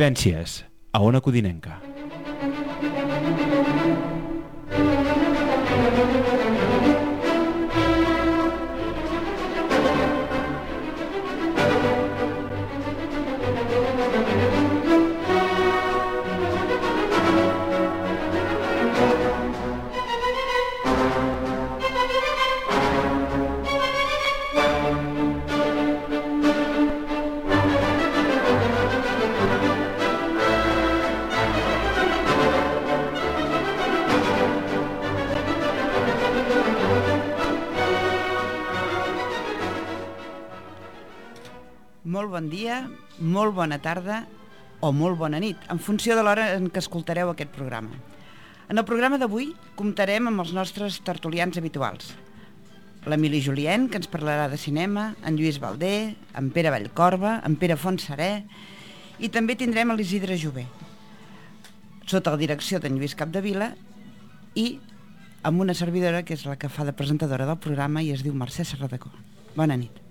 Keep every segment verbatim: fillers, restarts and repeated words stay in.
Vivències, a Ona Codinenca. Molt bon dia, molt bona tarda o molt bona nit, en funció de l'hora en què escoltareu aquest programa. En el programa d'avui comptarem amb els nostres tertulians habituals. L'Emili Julien, que ens parlarà de cinema, en Lluís Baldé, en Pere Vallcorba, en Pere Fontserè, i també tindrem l'Isidre Jové, sota la direcció d'en Lluís Capdevila, i amb una servidora que és la que fa de presentadora del programa i es diu Mercè Serradecó. Bona nit.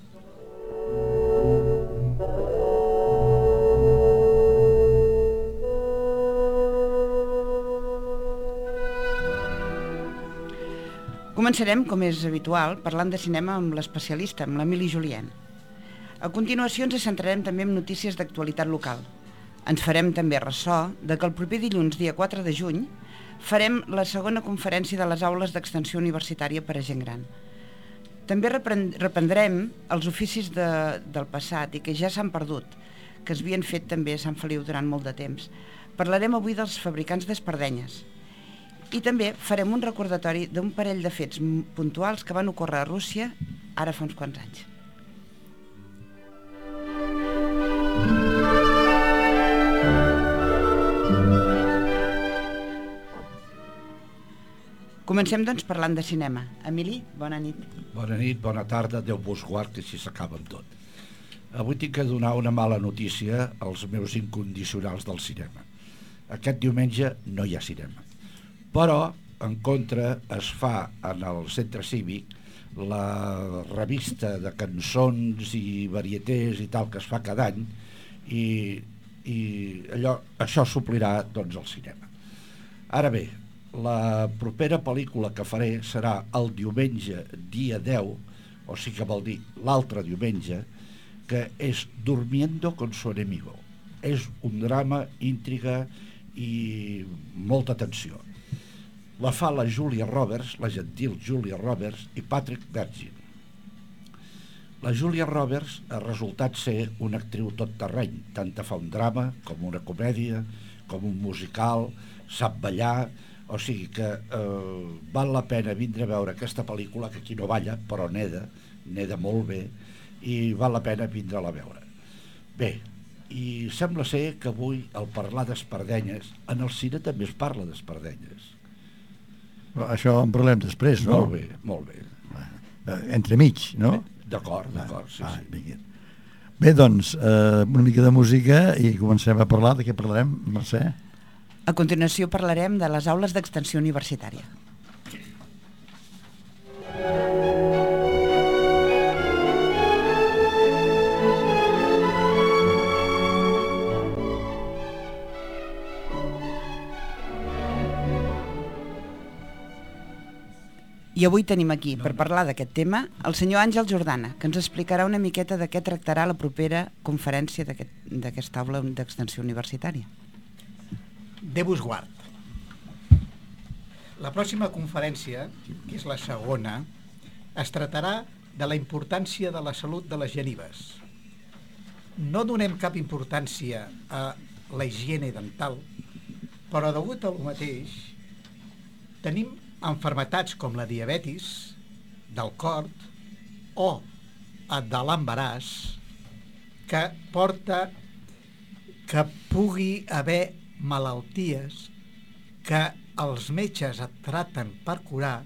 Començarem, com és habitual, parlant de cinema amb l'especialista, amb l'Emili Julien. A continuació ens centrarem també en notícies d'actualitat local. Ens farem també ressò de que el proper dilluns, dia quatre de juny, farem la segona conferència de les aules d'extensió universitària per a gent gran. També reprendrem els oficis de, del passat i que ja s'han perdut, que es havien fet també a Sant Feliu durant molt de temps. Parlarem avui dels fabricants d'espardenyes. I també farem un recordatori d'un parell de fets puntuals que van ocórrer a Rússia ara fa uns quants anys. Comencem, doncs, parlant de cinema. Emili, bona nit. Bona nit, bona tarda, Déu vos guard, que si s'acaba amb tot. Avui tinc que donar una mala notícia als meus incondicionals del cinema. Aquest diumenge no hi ha cinema. Però, en contra, es fa en el centre cívic la revista de cançons i varietés i tal que es fa cada any i, i allò, això suplirà doncs, el cinema. Ara bé, la propera pel·lícula que faré serà el diumenge dia deu, o sigui que vol dir l'altre diumenge, que és Durmiendo con su enemigo. És un drama, intriga i molta tensió. La fa la Julia Roberts, la gentil Julia Roberts i Patrick Bergin. La Julia Roberts ha resultat ser una actriu tot terreny, tant fa un drama com una comèdia, com un musical, sap ballar, o sigui que eh, val la pena vindre a veure aquesta pel·lícula, que aquí no balla, però neda, neda molt bé, i val la pena vindre-la a veure. Bé, i sembla ser que avui al parlar d'espardenyes, en el cine també es parla d'espardenyes. Això en parlem després, no? Molt bé, molt bé. Entremig, no? D'acord, d'acord, sí, ah, sí. Bé, doncs, eh, una mica de música i comencem a parlar. De què parlarem, Mercè? A continuació parlarem de les aules d'extensió universitària. I avui tenim aquí, per parlar d'aquest tema, el senyor Àngel Jordana, que ens explicarà una miqueta de què tractarà la propera conferència d'aquesta aula d'extensió universitària. Déu vos guard. La pròxima conferència, que és la segona, es tractarà de la importància de la salut de les genives. No donem cap importància a la higiene dental, però degut a lo mateix, tenim enfermetats com la diabetis, del cor o de l'embaràs que porta que pugui haver malalties que els metges et traten per curar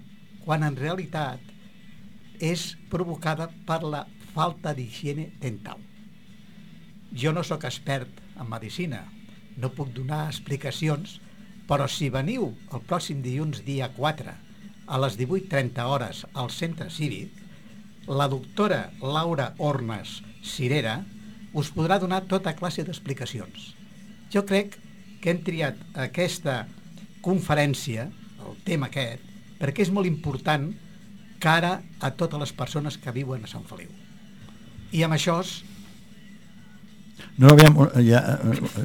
quan en realitat és provocada per la falta d'higiene dental. Jo no sóc expert en medicina, no puc donar explicacions, però si veniu el pròxim dilluns dia quatre a les divuit trenta hores al centre cívic, la doctora Laura Ornes Cirera us podrà donar tota classe d'explicacions, Jo crec que hem triat aquesta conferència, el tema aquest, perquè és molt important cara a totes les persones que viuen a Sant Feliu. I amb això... No, aviam, ja,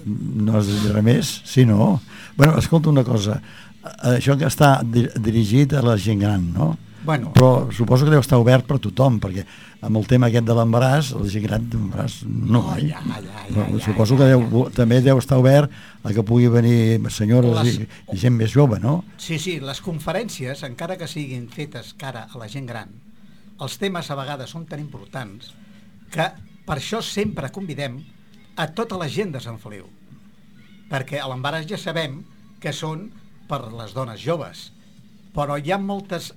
no has de dir res més? Sí, no? Bueno, escolta una cosa, això que està dirigit a la gent gran, no? Bueno, però suposo que deu estar obert per tothom, perquè amb el tema aquest de l'embaràs, la gent gran d'embaràs no, oh, eh? ja, ja, ja, però ja, suposo ja, que deu, ja. també deu estar obert a que pugui venir senyores Les... i, i gent més jove, no? Sí, sí, les conferències, encara que siguin fetes cara a la gent gran, els temes a vegades són tan importants que per això sempre convidem a tota la gent de Sant Feliu, perquè a l'embaràs ja sabem que són per les dones joves, però hi ha moltes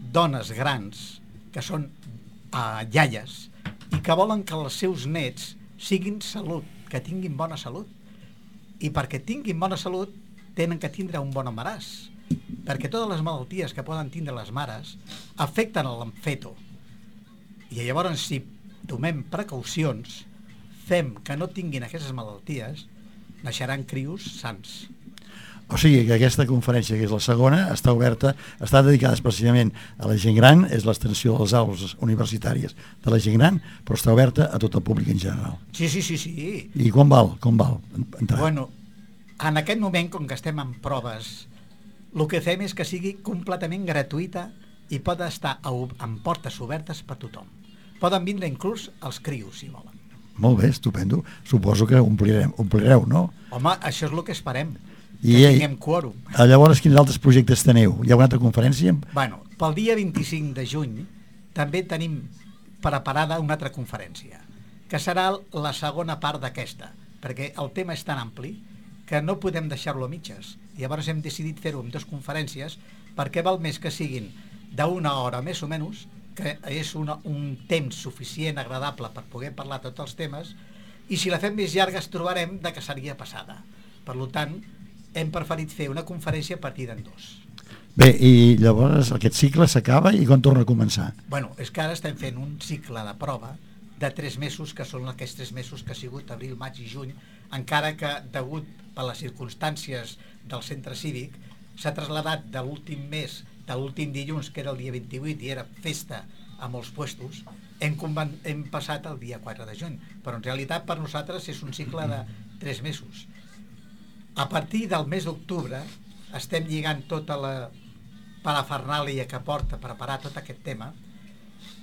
dones grans que són uh, iaies i que volen que els seus nets siguin salut, que tinguin bona salut, i perquè tinguin bona salut tenen que tindre un bon embaràs, perquè totes les malalties que poden tindre les mares afecten l'emfeto, i llavors si tomem precaucions, fem que no tinguin aquestes malalties, naixeran crios sans. O sigui que aquesta conferència, que és la segona, està oberta, està dedicada especialment a la gent gran, és l'extensió de les aules universitàries de la gent gran, però està oberta a tot el públic en general. Sí, sí, sí, sí. I com val? Com val entrar? Bueno, en aquest moment, com que estem en proves, el que fem és que sigui completament gratuïta i pot estar amb portes obertes per tothom. Poden vindre inclús els crios, si volen. Molt bé, estupendo. Suposo que omplirem, omplireu, no? Home, això és el que esperem. I, que tinguem quòrum. Llavors, quins altres projectes teniu? Hi ha una altra conferència? Bueno, pel dia vint-i-cinc de juny també tenim preparada una altra conferència, que serà la segona part d'aquesta, perquè el tema és tan ampli que no podem deixar-lo a mitges. Llavors hem decidit fer-ho en dues conferències perquè val més que siguin d'una hora més o menys, que és una, un temps suficient, agradable per poder parlar tots els temes, i si la fem més llarga es trobarem de que seria passada. Per tant, hem preferit fer una conferència a partir d'en dos. Bé, i llavors aquest cicle s'acaba i quan torna a començar? Bueno, és que ara estem fent un cicle de prova de tres mesos, que són aquests tres mesos que ha sigut abril, maig i juny, encara que, degut a les circumstàncies del centre cívic, s'ha traslladat de l'últim mes, de l'últim dilluns, que era el dia vint-i-vuit, i era festa a molts puestos, hem, hem passat el dia quatre de juny, però en realitat per nosaltres és un cicle de tres mesos. A partir del mes d'octubre estem lligant tota la parafernàlia que porta a preparar tot aquest tema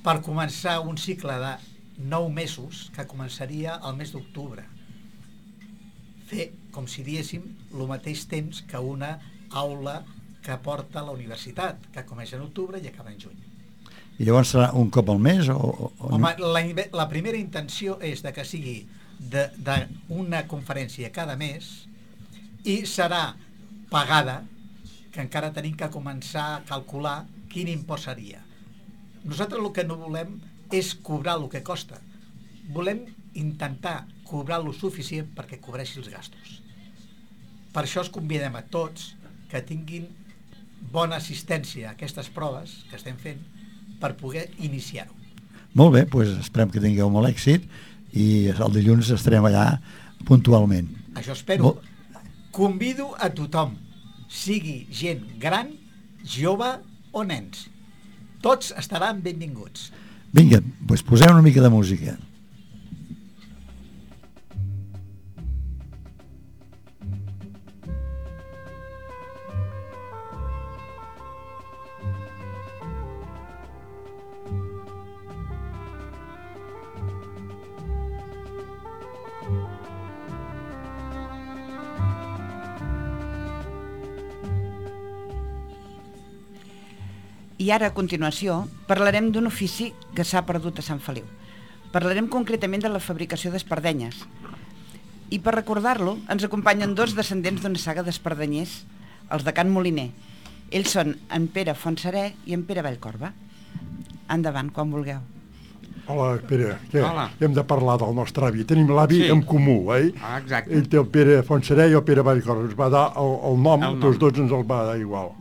per començar un cicle de nou mesos que començaria el mes d'octubre. Fer, com si diéssim, el mateix temps que una aula que porta a la universitat, que comença en octubre i acaba en juny. I llavors serà un cop al mes? O, o, Home, la, la primera intenció és de que sigui d'una conferència cada mes i serà pagada, que encara tenim que començar a calcular quin impost seria. Nosaltres el que no volem és cobrar el que costa. Volem intentar cobrar lo suficient perquè cobreixi els gastos. Per això es convidem a tots que tinguin bona assistència a aquestes proves que estem fent per poder iniciar-ho. Molt bé, doncs esperem que tingueu molt èxit i el dilluns estarem allà puntualment. Això espero. Molt... Convido a tothom, sigui gent gran, jove o nens. Tots estaran benvinguts. Vinga, doncs posem una mica de música. I ara, a continuació, parlarem d'un ofici que s'ha perdut a Sant Feliu. Parlarem concretament de la fabricació d'espardenyes. I per recordar-lo, ens acompanyen dos descendents d'una saga d'espardenyers, els de Can Moliner. Ells són en Pere Fontserè i en Pere Vallcorba. Endavant, quan vulgueu. Hola, Pere. Què? Hola. Hem de parlar del nostre avi. Tenim l'avi Sí. en comú, eh? Ah, exacte. Ell té el Pere Fontserè i el Pere Vallcorba. Ens va dar el, el nom, El nom. tots dos ens el va dar igual.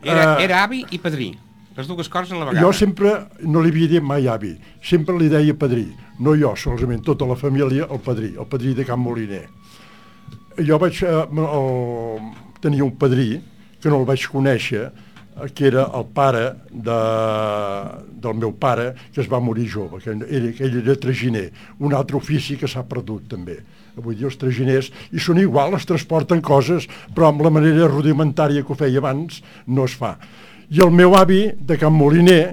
Era, Eh, era avi i padrí, les dues coses a la vegada. Jo sempre no li havia dit mai avi, sempre li deia padrí. No jo, solament tota la família, el padrí, el padrí de Can Moliner. jo vaig... Eh, el, tenia un padrí, que no el vaig conèixer, que era el pare de, del meu pare, que es va morir jove, que era, que ell era traginer, un altre ofici que s'ha perdut també. Avui dia els traginers, i són igual, es transporten coses, però amb la manera rudimentària que ho feia abans no es fa. I el meu avi, de Can Moliner,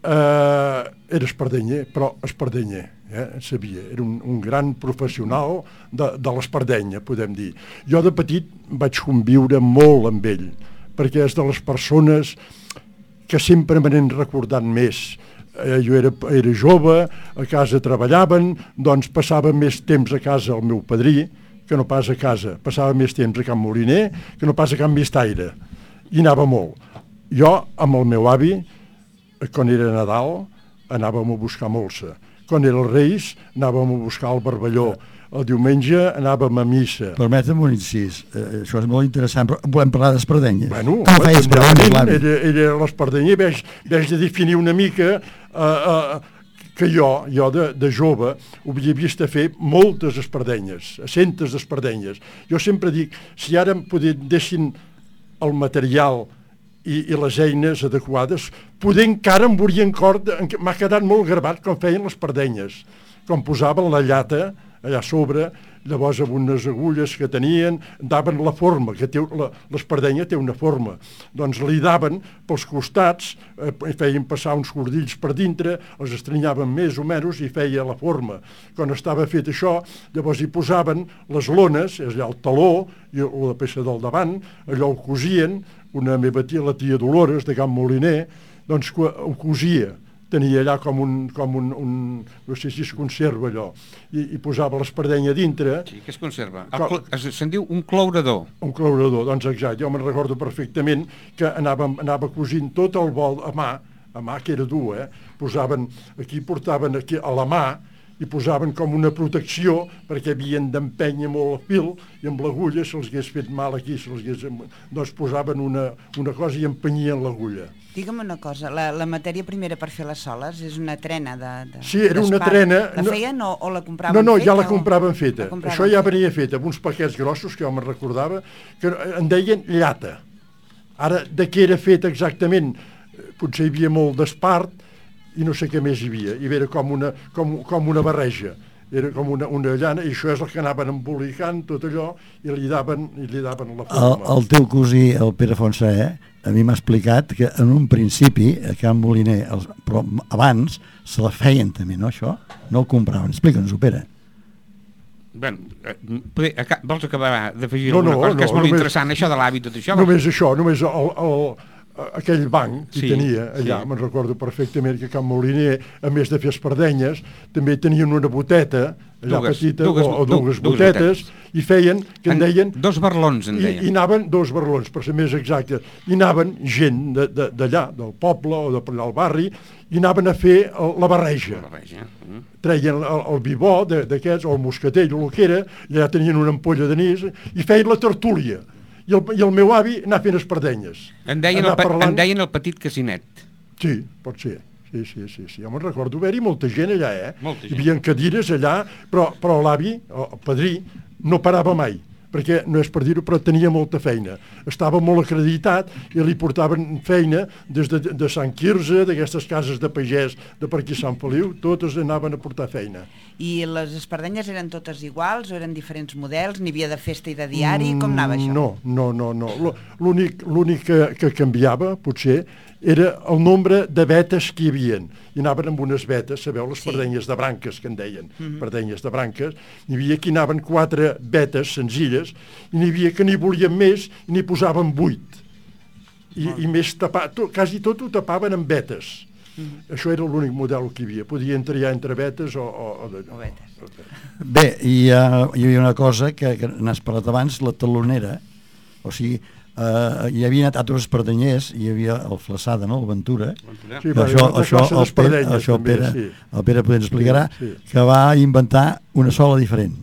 eh, era espardenyer, però espardenyer, eh, sabia, era un, un gran professional de, de l'espardenya, podem dir. Jo de petit vaig conviure molt amb ell, perquè és de les persones que sempre me n'han recordat més. Eh, jo era, era jove, a casa treballaven, doncs passava més temps a casa el meu padrí que no pas a casa. Passava més temps a Can Moliner que no pas a Can Vistaire. I anava molt. Jo, amb el meu avi, quan era Nadal, anàvem a buscar molsa. Quan era els Reis, anàvem a buscar el barballó. El diumenge anàvem a missa. Permetem un incís, eh, això és molt interessant, però volem parlar d'espardenyes. Bueno, com feia espardenyes, l'avi? Era, era l'espardenyer, veig, veig de definir una mica eh, eh, que jo, jo de, de jove, ho havia vist a fer moltes espardenyes, centes d'espardenyes. Jo sempre dic, si ara em deixin el material i, i les eines adequades, poder encara em veurien cor, m'ha quedat molt gravat com feien les espardenyes, com posaven la llata allà a sobre, llavors amb unes agulles que tenien, daven la forma, que té, la, l'espardenya té una forma, doncs li daven pels costats, eh, feien passar uns cordills per dintre, els estrenyaven més o menys i feia la forma. Quan estava fet això, llavors hi posaven les lones, és allà el taló i la peça del davant, allò ho cosien, una meva tia, la tia Dolores de Can Moliner, doncs ho cosia, tenia allà com un, com un, un no sé si es conserva allò, i, i posava l'espardenya dintre. Sí, que es conserva. Com, es, se'n diu un clourador. Un clourador, doncs exacte. Jo me'n recordo perfectament que anava, anava cosint tot el vol a mà, a mà que era dur, eh? Posaven, aquí portaven aquí a la mà, i posaven com una protecció perquè havien d'empènyer molt el fil i amb l'agulla se'ls hagués fet mal aquí, se'ls hagués... doncs posaven una, una cosa i empenyien l'agulla. Digue'm una cosa, la, la matèria primera per fer les soles és una trena de, de Sí, era una trena... La feien o, o la compraven feta? No, no, feta, ja la o... compraven feta. La compraven Això ja feta. venia feta, amb uns paquets grossos que jo me'n recordava, que en deien llata. Ara, de què era feta exactament? Potser hi havia molt d'espart, i no sé què més hi havia, i era com una, com, com una barreja, era com una, una llana, i això és el que anaven embolicant tot allò, i li daven, i li daven la forma. El, el teu cosí, el Pere Fontsaé, a mi m'ha explicat que en un principi, a Can Moliner, els, però abans, se la feien també, no, això? No el compraven. Explica'ns-ho, Pere. Bé, eh, vols acabar d'afegir no, alguna no, cosa? No, que és molt només, interessant, això de l'hàbit, tot això. Només això, només el... el aquell banc que sí, tenia allà, sí. Me'n recordo perfectament que Can Moliner, a més de fer espardenyes, també tenien una boteta allà dues, petita, dues, o, o dues, dues botetes, botetes, i feien, que en, en deien... Dos barlons, en deien. I, i anaven, dos barlons, per ser més exacte, i anaven gent d'allà, de, de del poble o d'allà al barri, i anaven a fer el, la barreja. La barreja. Mm. Treien el, el bibó d'aquests, o el moscatell, o el que era, i allà tenien una ampolla d'anís, i feien la tertúlia. I el, i el meu avi anava fent espardenyes. En deien, el, parlant... en deien el petit casinet. Sí, pot ser. Sí, sí, sí, sí. Jo me'n recordo haver-hi molta gent allà, eh? Molta gent. Hi havia cadires allà, però, però l'avi, el padrí, no parava mai, perquè no és per dir-ho, però tenia molta feina. Estava molt acreditat i li portaven feina des de, de Sant Quirze, d'aquestes cases de pagès de per aquí Sant Feliu, totes anaven a portar feina. I les espardenyes eren totes iguals o eren diferents models? N'hi havia de festa i de diari? Com anava això? No, no, no, no. L'únic, l'únic que, que canviava, potser, era el nombre de vetes que hi havia. I anaven amb unes vetes, sabeu, les sí. Espardenyes de branques, que en deien, mm-hmm. Espardenyes de branques. N'hi havia que anaven quatre vetes senzilles, i n'hi havia que n'hi volien més i n'hi posaven vuit. I, oh. i més tapat, tot, quasi tot ho tapaven amb vetes. Mm-hmm. Això era l'únic model que hi havia. Podien triar entre vetes o... o, o, de, o vetes. Bé, hi, ha, hi havia una cosa que, que n'has parlat abans, la talonera, o sigui, Uh, hi havia anat altres espardenyers, hi havia el Flaçada, no? El Ventura. Sí, això, això, el Pere, això el Pere, sí. el Pere potser ens explicarà, sí, sí. Que va inventar una sola diferent.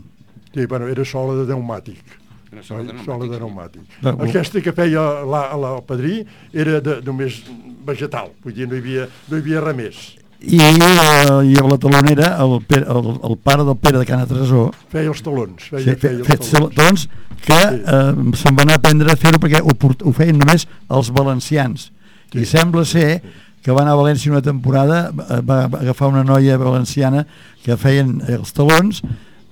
Sí, bueno, era sola de pneumàtic. Una sola de pneumàtic. Sola de pneumàtic. No, aquesta que feia la, la, el padrí era de, només vegetal, vull dir, no hi havia, no hi havia res més. I, uh, i a la talonera el, Pere, el, el pare del Pere de Cana Tresó feia els talons, feia, sí, fe, feia els talons. talons que eh, se'n va anar a aprendre a fer-ho perquè ho, ho feien només els valencians. Sí. I sembla ser que va anar a València una temporada, va agafar una noia valenciana que feien els talons,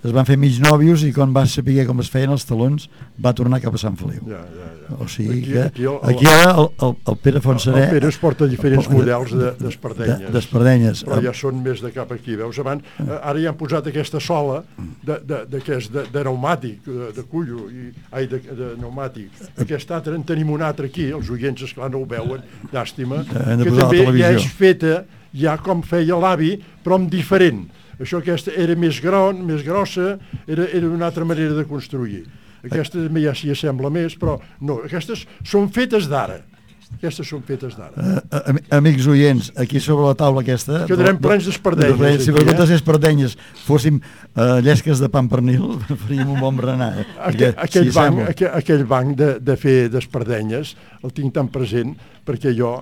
es van fer mig nòvios i quan va saber com es feien els talons va tornar cap a Sant Feliu. Ja, ja, ja. O sigui aquí, que aquí, el, aquí ara el, el, el Pere Fontserè... El Pere es porta diferents el, models d'espardenyes. De, d'espardenyes. Però ja són més de cap aquí. Veus, abans, ara ja han posat aquesta sola de, de, de, de, de, de pneumàtic, de, de cullo, i, ai, de, de pneumàtic. Aquest altre, en tenim un altre aquí, els oients, esclar, no ho veuen, llàstima, que també ja és feta, ja com feia l'avi, però amb diferent. Això aquesta era més gran, més grossa, era, era una altra manera de construir. Aquesta també ja s'hi assembla més, però no, aquestes són fetes d'ara. Aquestes són fetes d'ara. Uh, amics oients, aquí sobre la taula aquesta... Quedarem plens d'espardenyes. Si per totes les espardenyes fóssim uh, llesques de pa amb pernil, faríem un bon berenar. Eh? Aquell, aquell, si banc, aquell, aquell banc de, de fer d'espardenyes el tinc tan present perquè jo...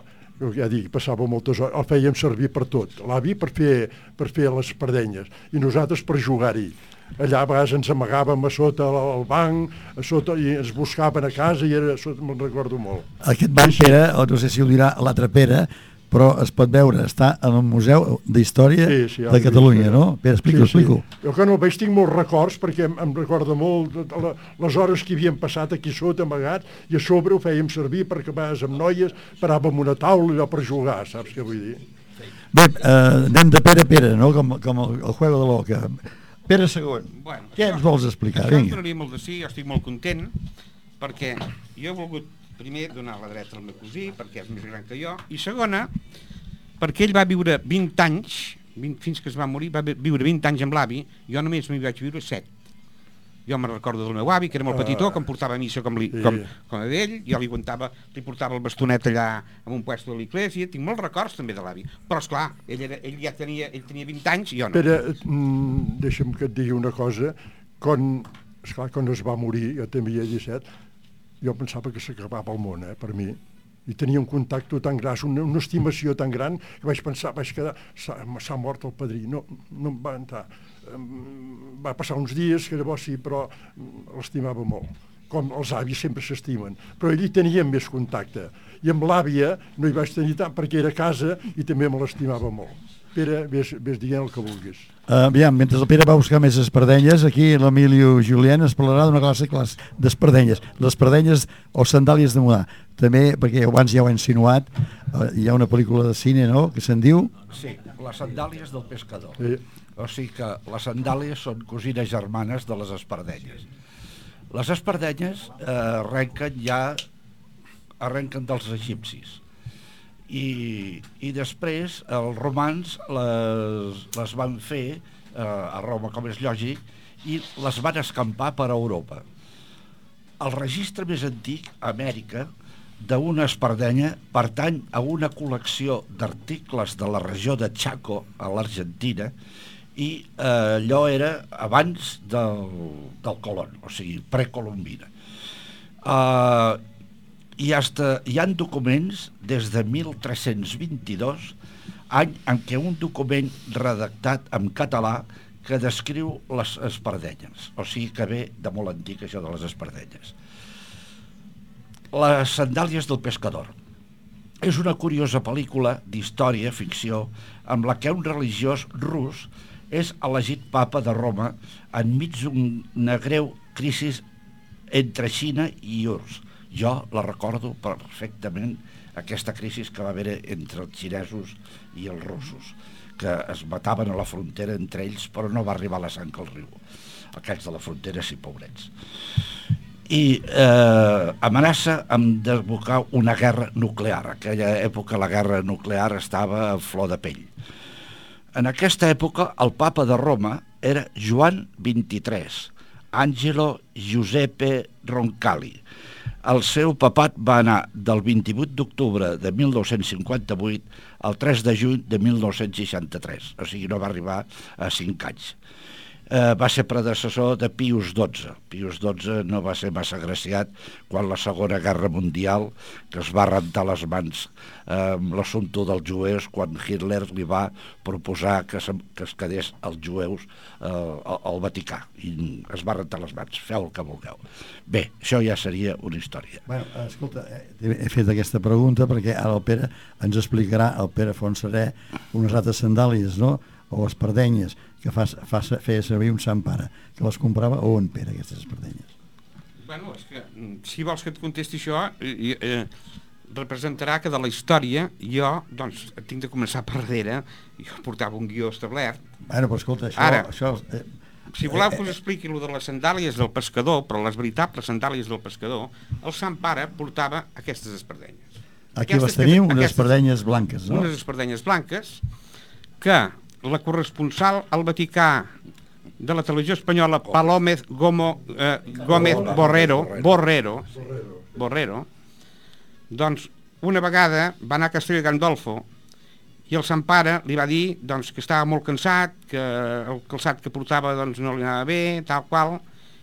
ja dic, passava moltes hores, el fèiem servir per tot, l'avi per fer, per fer les espardenyes i nosaltres per jugar-hi. Allà a vegades ens amagàvem a sota el banc, a sota, i ens buscaven a casa i era, me'n recordo molt. Aquest banc, Pere, no sé si ho dirà l'altre Pere, però es pot veure, està en el Museu d'Història sí, sí, de Catalunya, vist, no? Pere, explico, sí, explico. Sí. Jo que no el veig tinc molts records perquè em, em recorda molt la, les hores que havien passat aquí sota amagats i a sobre ho fèiem servir perquè a vegades amb noies paràvem una taula allò per jugar, saps què vull dir? Bé, eh, anem de Pere a Pere, no? Com, com el, el juego de l'oca. Pere segon, bueno, què ens vols explicar? Això em donaria molt de sí, jo estic molt content perquè jo he volgut primer donar la dreta al meu cosí perquè és més gran que jo, i segona perquè ell va viure vint anys vint, fins que es va morir, va viure vint anys amb l'avi, jo només m'hi vaig viure set. Jo me'n recordo del meu avi que era molt petitó, que em portava a missa com, li, com, com a ell, jo li aguantava, li portava el bastonet allà en un puesto de l'església, tinc molts records també de l'avi, però esclar, ell, era, ell ja tenia, ell tenia vint anys i jo no. Pere, mm, deixa'm que et digui una cosa, quan, esclar, quan es va morir, jo també hi ha disset, jo pensava que s'acabava el món, eh, per mi, i tenia un contacte tan gran, una, una estimació tan gran, que vaig pensar, vaig quedar, s'ha mort el padrí, no, no em va entrar. Va passar uns dies, que llavors sí, però l'estimava molt. Com els avis sempre s'estimen. Però ell hi tenia més contacte. I amb l'àvia no hi vaig tenir tant, perquè era a casa i també me l'estimava molt. Pere, ves, ves dient el que vulguis. Uh, aviam, mentre el Pere va buscar més espardenyes, aquí l'Emilio Julien es parlarà d'una classe, classe d'espardenyes. Les espardenyes o sandàlies de mudar. També, perquè abans ja ho he insinuat, uh, hi ha una pel·lícula de cine, no?, que se'n diu... Sí, les sandàlies del pescador. Sí. O sigui que les sandàlies són cosines germanes de les espardenyes. Les espardenyes eh, arrenquen ja arrenquen dels egipcis. I, i després els romans les, les van fer eh, a Roma, com és lògic, i les van escampar per Europa. El registre més antic, a Amèrica, d'una espardenya pertany a una col·lecció d'articles de la regió de Chaco, a l'Argentina, i eh, allò era abans del, del Colón, o sigui, precolombina. Eh, i hasta, hi ha documents des de mil tres-cents vint-i-dos, any en què un document redactat en català que descriu les espardenyes, o sigui que ve de molt antic això de les espardenyes. Les sandàlies del pescador és una curiosa pel·lícula d'història, ficció, amb la que un religiós rus és elegit papa de Roma enmig d'una greu crisi entre Xina i U R S S. Jo la recordo perfectament, aquesta crisi que va haver entre els xinesos i els russos, que es mataven a la frontera entre ells, però no va arribar la sang al riu. Aquests de la frontera, sí, pobrets. I eh, amenaça amb desbocar una guerra nuclear. En aquella època la guerra nuclear estava a flor de pell. En aquesta època el papa de Roma era Joan vint-i-tres, Angelo Giuseppe Roncalli. El seu papat va anar del vint-i-vuit d'octubre de mil nou-cents cinquanta-vuit al tres de juny de mil nou-cents seixanta-tres, o sigui, no va arribar a cinc anys. eh, va ser predecessor de Pius dotze. Pius dotze no va ser massa agraciat quan la Segona Guerra Mundial, que es va rentar les mans eh, amb l'assumpte dels jueus, quan Hitler li va proposar que, se, que es quedés els jueus eh, al, al Vaticà, i es va rentar les mans. Feu el que vulgueu. Bé, això ja seria una història. Bueno, escolta, he, he fet aquesta pregunta perquè ara el Pere ens explicarà, el Pere Fontserè, unes altres sandàlies, no?, o espardenyes, que fa, fa, feia servir un sant pare, que les comprava on, Pere, aquestes espardenyes? Bueno, és que, si vols que et contesti això, eh, eh, representarà que de la història jo, doncs, tinc de començar per darrere, i jo portava un guió establert. Bueno, però escolta, això... Ara, això eh, si voleu que us expliqui allò de les sandàlies del pescador, però les veritables sandàlies del pescador, el sant pare portava aquestes espardenyes. Aquí aquestes les tenim, que, unes aquestes, espardenyes blanques, no? Unes espardenyes blanques, que la corresponsal al Vaticà de la televisió espanyola, Palómez Gomo, eh, Gómez Borrero, Borrero, Borrero, doncs una vegada va anar a Castelló de Gandolfo i el sant pare li va dir, doncs, que estava molt cansat, que el calçat que portava, doncs, no li anava bé, tal qual,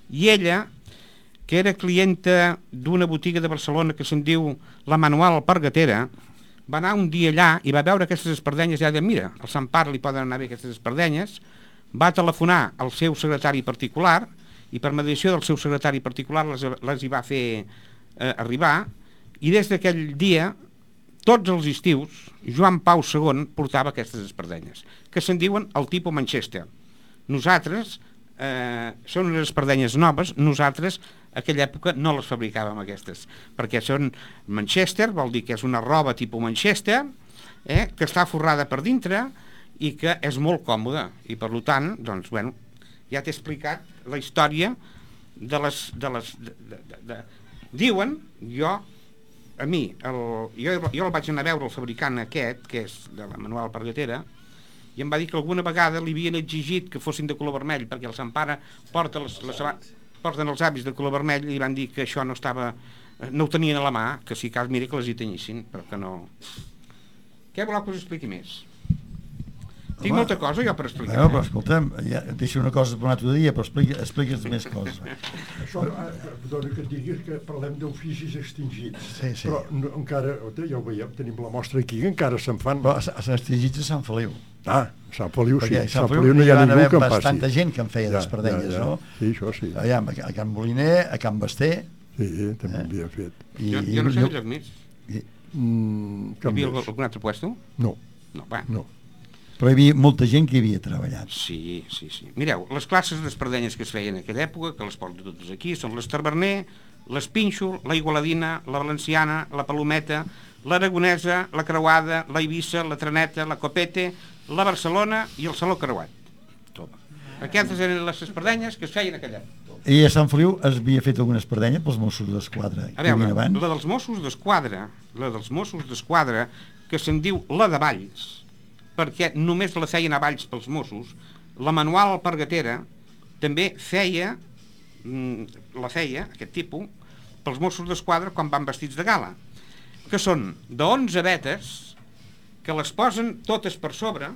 i ella, que era clienta d'una botiga de Barcelona que se'n diu La Manual Alpargatera, va anar un dia allà i va veure aquestes espardenyes i va dir, mira, al sant pare li poden anar bé aquestes espardenyes, va telefonar al seu secretari particular i per mediació del seu secretari particular les, les hi va fer eh, arribar, i des d'aquell dia, tots els estius, Joan Pau segon portava aquestes espardenyes, que se'n diuen el tipus Manchester. Nosaltres, eh, són unes espardenyes noves, nosaltres a aquella època no les fabricàvem aquestes, perquè són Manchester, vol dir que és una roba tipus Manchester, eh, que està forrada per dintre i que és molt còmoda, i per tant, doncs, bueno, ja t'he explicat la història de les... De les de, de, de, de... Diuen, jo, a mi, el, jo, jo el vaig anar a veure el fabricant aquest, que és de la Manual Alpargatera, i em va dir que alguna vegada li havien exigit que fossin de color vermell, perquè el sant pare porta les, les porten els hàbits de color vermell, i van dir que això no estava, no ho tenien a la mà, que si cas, mira, que les hi tenyissin, però que no... Què voleu que us expliqui més? Tinc molta cosa jo per explicar. No, però escolta'm, ja, deixa una cosa per un altre dia, però explica, expliques més coses. Això, perdona que et digui que parlem d'oficis extingits, sí, sí. Però no, encara, ja ho veiem, tenim la mostra aquí, que encara se'n fan... Però s'han extingit a Sant Feliu. Ah, Sant Feliu, sí. Perquè a Sant Sant Feliu no hi ha ningú que en passi. Bastanta gent que en feia ja, d'espardenyes, ja, ja. No? Sí, això sí. Allà, a Can Moliner, a Can Basté... Sí, també eh? havia fet. I, jo, jo no sé lloc més. I, mm, hi havia algun, algun altre puesto? No. No, va. No. Però hi havia molta gent que hi havia treballat. Sí, sí, sí. Mireu, les classes d'espardenyes que es feien en aquella època, que les porto totes aquí, són les Taverner, l'Espínxol, la Igualadina, la Valenciana, la Palometa, l'Aragonesa, la Creuada, la Eivissa, la Traneta, la Copete, la Barcelona i el Saló Creuat. Toma. Aquestes eren les espardenyes que es feien en aquella època. I a Sant Feliu es havia fet alguna espardenya pels Mossos d'Esquadra? A veure, la dels Mossos d'Esquadra, la dels Mossos d'Esquadra, que se'n diu la de Valls, perquè només la feien a Valls pels Mossos, la Manual Alpargatera també feia, la feia, aquest tipus, pels Mossos d'Esquadra quan van vestits de gala, que són d'onze vetes, que les posen totes per sobre,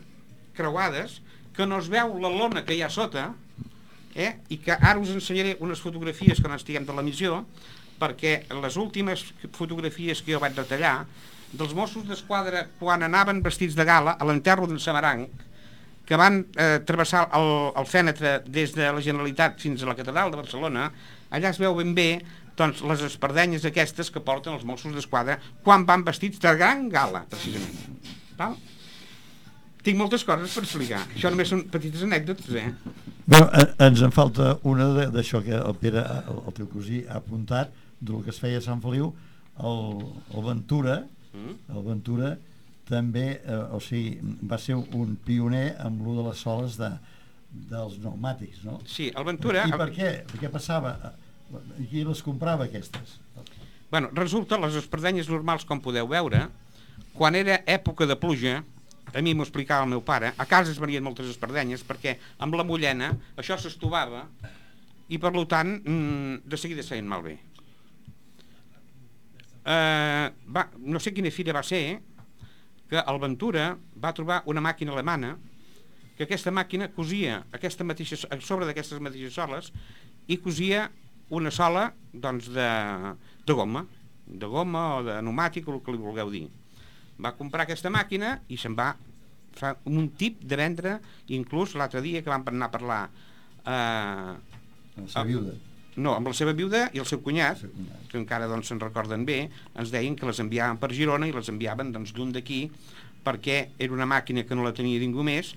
creuades, que no es veu la lona que hi ha sota, eh? I que ara us ensenyaré unes fotografies quan estiguem de l'emissió, perquè les últimes fotografies que jo vaig retallar dels Mossos d'Esquadra quan anaven vestits de gala a l'enterro d'en Samaranc, que van eh, travessar el, el fènetre des de la Generalitat fins a la Catedral de Barcelona, allà es veu ben bé doncs, les espardenyes aquestes que porten els Mossos d'Esquadra quan van vestits de gran gala, precisament. Val? Tinc moltes coses per explicar. Això només són petites anècdotes, eh? Bueno, ens en falta una d'això que el Pere, el, el teu cosí, ha apuntat, del que es feia a Sant Feliu, el, el Ventura, mm. el Ventura també, eh, o sigui, va ser un pioner amb l'ú de les soles de, dels pneumàtics, no? Sí, el Ventura... I per què? Per què passava? Qui les comprava, aquestes? Bueno, resulta, les espardenyes normals, com podeu veure, quan era època de pluja, a mi m'ho explicava el meu pare, a casa es venien moltes espardenyes perquè amb la mullena això s'estovava i per tant de seguida es feien malbé. Eh, va, no sé quina fira va ser que el Ventura va trobar una màquina alemana que aquesta màquina cosia aquesta mateixa, a sobre d'aquestes mateixes soles i cosia una sola doncs, de, de goma, de goma o de pneumàtic, o el que li vulgueu dir. Va comprar aquesta màquina i se'n va fa un tip de vendre, inclús l'altre dia que vam anar a parlar eh, La seva viuda. no, amb la seva viuda i el seu cunyat, que encara doncs, se'n recorden bé, ens deien que les enviaven per Girona i les enviaven doncs, lluny d'aquí perquè era una màquina que no la tenia ningú més,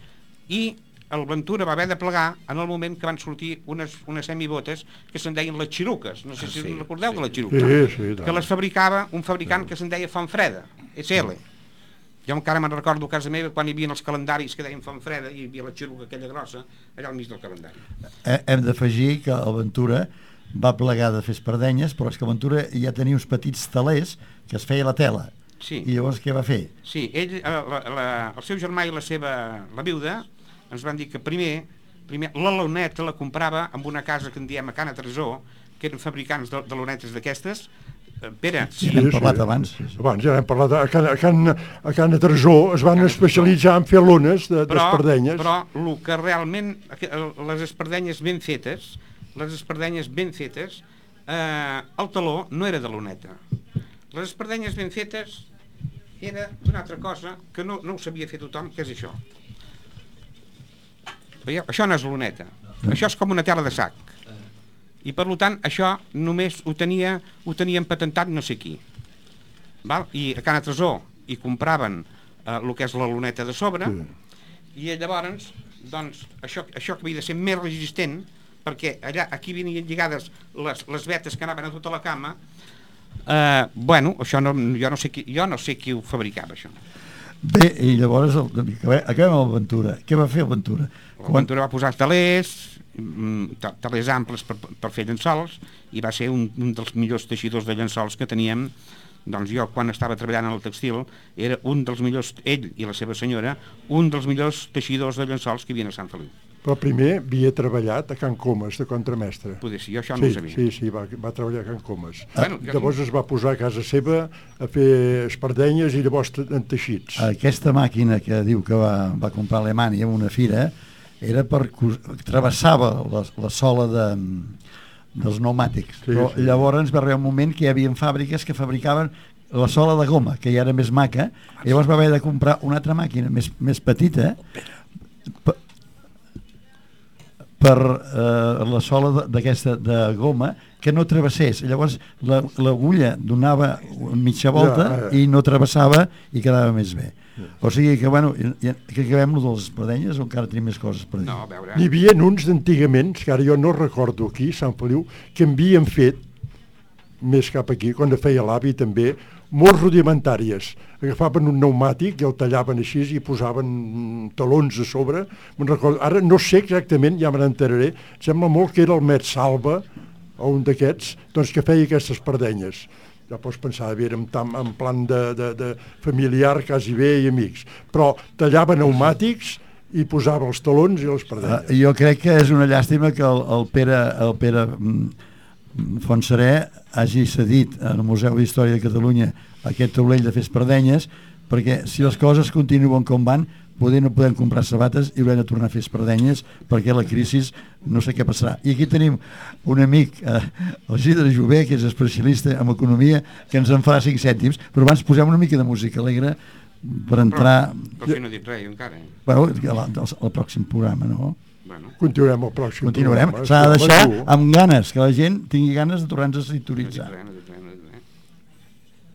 i el Ventura va haver de plegar en el moment que van sortir unes, unes semibotes que se'n deien les xiruques, no sé si us recordeu de les xiruques, Sí, sí, que les fabricava un fabricant que se'n deia Fontfreda, S L. Jo encara me'n recordo a casa meva quan hi havia els calendaris que deien Fontfreda i hi havia la xiruca aquella grossa allà al mig del calendari. Hem d'afegir que el Ventura va plegar de fer espardenyes, però és que Ventura ja tenia uns petits telers que es feia la tela. Sí. I llavors què va fer? Sí, ell, la, la, el seu germà i la seva la viuda ens van dir que primer, primer la luneta la comprava amb una casa que en diem a Cana Tresor, que eren fabricants de, de lunetes d'aquestes. Pere, Sí, hem parlat abans. Abans ja hem parlat. A Can, a Can, a Can Tresor es van especialitzar en fer lones d'espardenyes. Però, però el que realment, les espardenyes ben fetes, les espardenyes ben fetes, eh, el taló no era de luneta. Les espardenyes ben fetes era d'una altra cosa que no, no ho sabia fer tothom, que és això. Veieu? Això no és luneta. Això és com una tela de sac. I per tant això només ho tenia ho tenien patentat no sé qui. Val? I a Cana Tresor hi compraven eh, el que és la luneta de sobre, sí. I llavors doncs, això, això que havia de ser més resistent, perquè allà aquí venien lligades les, les vetes que anaven a tota la cama. eh, bueno, això no, jo, no sé qui, jo no sé qui ho fabricava, això. Bé, i llavors el, acabem amb l'Aventura. Què va fer l'Aventura? L'Aventura va posar talers, talers amples per, per fer llençols, i va ser un, un dels millors teixidors de llençols que teníem. Doncs jo, quan estava treballant en el textil, era un dels millors, ell i la seva senyora, un dels millors teixidors de llençols que hi havia a Sant Feliu. Però primer havia treballat a Can Comas, de contramestre. Poder ser, jo això sí, no ho sabia. Sí, sí, va, va treballar a Can Comas. Ah, bueno, llavors es va posar a casa seva a fer espardenyes i llavors en teixits. Aquesta màquina que diu que va, va comprar a Alemanya en una fira era per... travessava la, la sola de, dels pneumàtics. Sí, però sí. Llavors va arribar un moment que hi havia fàbriques que fabricaven la sola de goma, que ja era més maca, i llavors va haver de comprar una altra màquina més, més petita per, per eh, la sola d'aquesta de goma que no travessés. Llavors l'agulla la, donava mitja volta ja, ja. I no travessava i quedava més bé. O sigui que, bueno, que acabem de les espardenyes o encara tenim més coses per dir? No, a veure... N'hi havia uns d'antigament, que ara jo no recordo aquí, Sant Feliu, que havien fet, més cap aquí, quan feia l'avi també, molt rudimentàries. Agafaven un pneumàtic i el tallaven així i posaven talons a sobre. Me'n recordo. Ara no sé exactament, ja me n'enteraré, sembla molt que era el Met Salva, o un d'aquests, doncs que feia aquestes espardenyes. Ja pots pensar, bé, en, en plan de, de, de familiar, quasi bé i amics. Però tallava pneumàtics i posava els talons i les espardenyes. Uh, jo crec que és una llàstima que el, el Pere, el Pere mm, Fontserè hagi cedit al Museu d'Història de Catalunya aquest taulell de fer espardenyes, perquè si les coses continuen com van, poder no podem comprar sabates i haurem de tornar a fer espardenyes perquè la crisi no sé què passarà. I aquí tenim un amic, eh, el Isidre Jové, que és especialista en economia, que ens en farà cinc cèntims, però abans posem una mica de música alegre per entrar... Però, però si no he dit res encara. Eh? Bueno, al pròxim programa, no? Bueno. Continuarem el pròxim Continuarem. programa. S'ha de deixar amb ganes, que la gent tingui ganes de tornar-nos a sintonitzar. No dic res, no dic res, no dic res.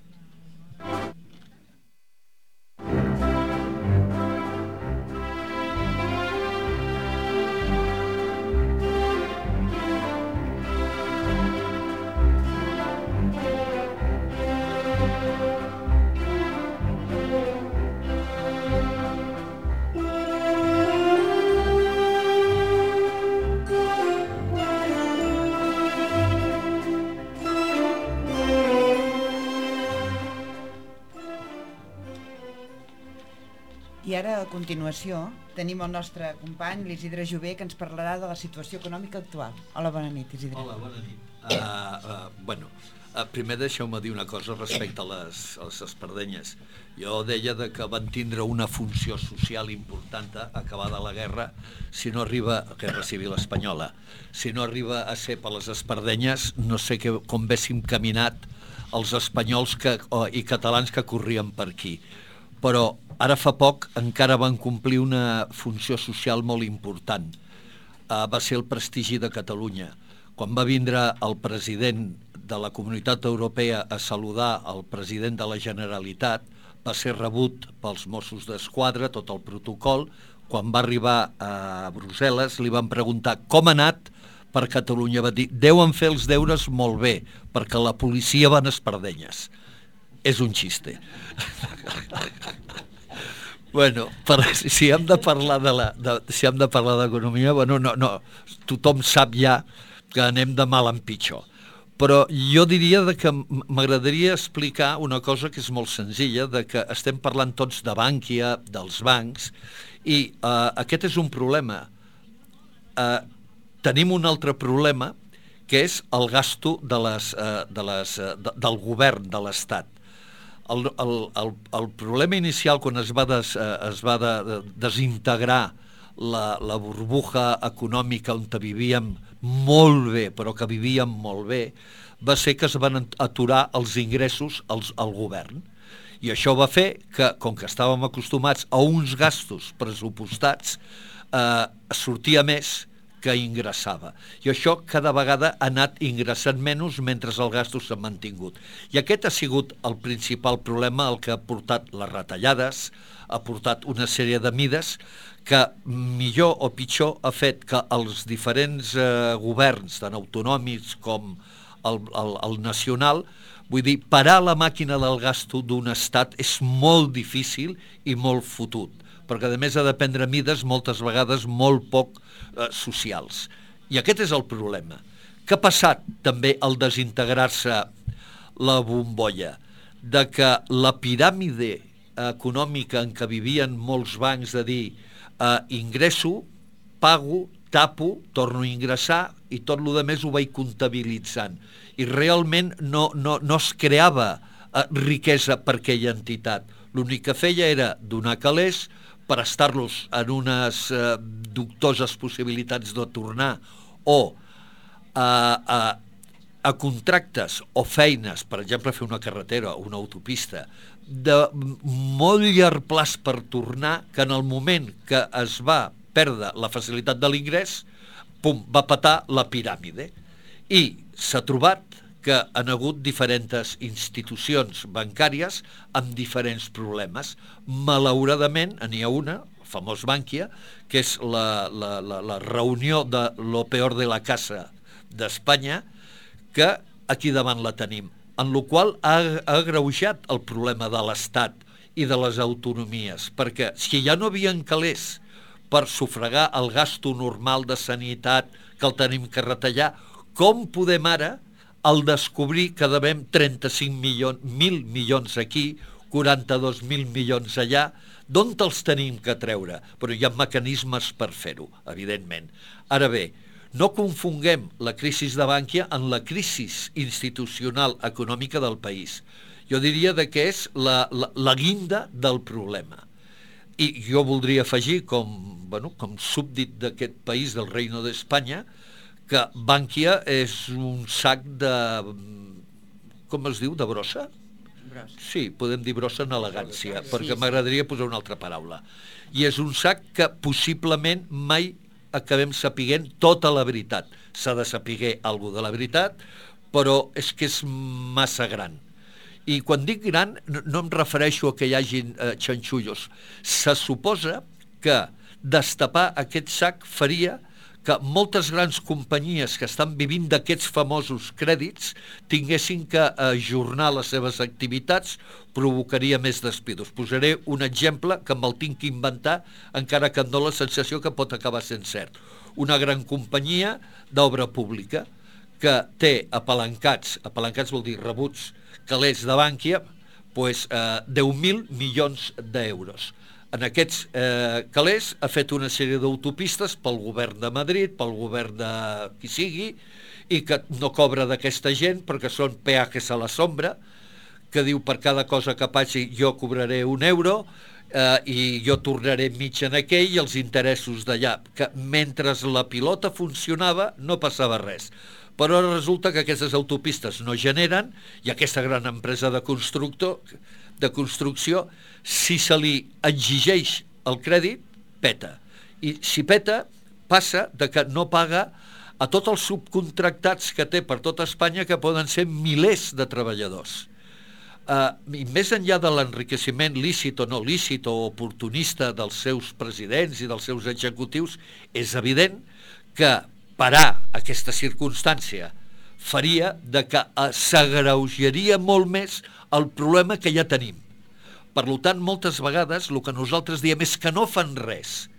I ara, a continuació, tenim el nostre company, l'Isidre Jové, que ens parlarà de la situació econòmica actual. Hola, bona nit, Isidre. Hola, bona nit. Uh, uh, bueno, uh, primer deixeu-me dir una cosa respecte a les, a les espardenyes. Jo deia de que van tindre una funció social important acabada la guerra, si no arriba, guerra civil espanyola, si no arriba a ser per les espardenyes, no sé que, com véssim caminat els espanyols que, oh, i catalans que corrien per aquí. Però ara fa poc encara van complir una funció social molt important. Uh, va ser el prestigi de Catalunya. Quan va vindre el president de la Comunitat Europea a saludar el president de la Generalitat, va ser rebut pels Mossos d'Esquadra, tot el protocol. Quan va arribar a Brussel·les li van preguntar com ha anat per Catalunya. Va dir, deuen fer els deures molt bé, perquè la policia van espardenyes. És un xiste. Bueno, per, si hem de parlar de la, de, si hem de parlar d'economia, bueno, no, no, tothom sap ja que anem de mal en pitjor. Però jo diria de que m'agradaria explicar una cosa que és molt senzilla, de que estem parlant tots de Bankia, dels bancs, i uh, aquest és un problema. Uh, tenim un altre problema, que és el gasto de les, uh, de les, uh, de, del govern de l'Estat. El, el, el, el problema inicial, quan es va, des, es va de, de, desintegrar la, la burbuja econòmica on vivíem molt bé, però que vivíem molt bé, va ser que es van aturar els ingressos als, al govern. I això va fer que, com que estàvem acostumats a uns gastos pressupostats, eh, sortia més que ingressava. I això cada vegada ha anat ingressant menys mentre el gasto s'ha mantingut. I aquest ha sigut el principal problema, el que ha portat les retallades, ha portat una sèrie de mides que, millor o pitjor, ha fet que els diferents eh, governs, tant autonòmics com el, el, el nacional, vull dir, parar la màquina del gasto d'un estat és molt difícil i molt fotut, perquè a més ha de prendre mides moltes vegades molt poc eh, socials. I aquest és el problema. Què ha passat també al desintegrar-se la bombolla? De que la piràmide econòmica en què vivien molts bancs, de dir eh, ingresso, pago, tapo, torno a ingressar i tot el més ho vaig comptabilitzant. I realment no, no, no es creava eh, riquesa per aquella entitat. L'únic que feia era donar calés, prestar-los en unes eh, dubtoses possibilitats de tornar o a, a, a contractes o feines, per exemple, fer una carretera o una autopista, de molt llarg plaç per tornar, que en el moment que es va perdre la facilitat de l'ingrés, pum, va petar la piràmide. I s'ha trobat que han hagut diferents institucions bancàries amb diferents problemes. Malauradament, n'hi ha una, el famós Bankia, que és la, la, la, la reunió de lo peor de la casa d'Espanya, que aquí davant la tenim, en la qual ha, ha agreujat el problema de l'Estat i de les autonomies, perquè si ja no havien calés per sufragar el gasto normal de sanitat que el tenim que retallar, com podem ara al descobrir que devem trenta-cinc mil milions aquí, quaranta-dos mil milions allà, d'on els tenim que treure? Però hi ha mecanismes per fer-ho, evidentment. Ara bé, no confonguem la crisi de Bankia en la crisi institucional econòmica del país. Jo diria que és la, la, la guinda del problema. I jo voldria afegir, com, bueno, com súbdit d'aquest país, del Reino d'Espanya, que Bankia és un sac de... com es diu? De brossa? Brossa. Sí, podem dir brossa en elegància, sí, perquè sí, m'agradaria posar una altra paraula. I és un sac que possiblement mai acabem sapiguent tota la veritat. S'ha de saber alguna de la veritat, però és que és massa gran. I quan dic gran, no, no em refereixo a que hi hagin eh, xanxullos. Se suposa que destapar aquest sac faria que moltes grans companyies que estan vivint d'aquests famosos crèdits tinguessin que ajornar les seves activitats, provocaria més despidos. Posaré un exemple que me'l tinc que inventar, encara que em dóna la sensació que pot acabar sent cert. Una gran companyia d'obra pública que té apalancats, apalancats vol dir rebuts, calés de Bankia, pues, eh, deu mil milions d'euros. En aquests eh, calés ha fet una sèrie d'autopistes pel govern de Madrid, pel govern de qui sigui, i que no cobra d'aquesta gent perquè són peajes a la sombra, que diu per cada cosa que passi jo cobraré un euro eh, i jo tornaré mig en aquell i els interessos d'allà, que mentre la pilota funcionava no passava res. Però ara resulta que aquestes autopistes no generen i aquesta gran empresa de constructor de construcció, si se li exigeix el crèdit, peta. I si peta, passa de que no paga a tots els subcontractats que té per tota Espanya, que poden ser milers de treballadors. Uh, i més enllà de l'enriqueciment lícit o no lícit o oportunista dels seus presidents i dels seus executius, és evident que parar aquesta circumstància faria de que s'agreujaria molt més el problema que ja tenim. Per tant, moltes vegades el que nosaltres diem és que no fan res.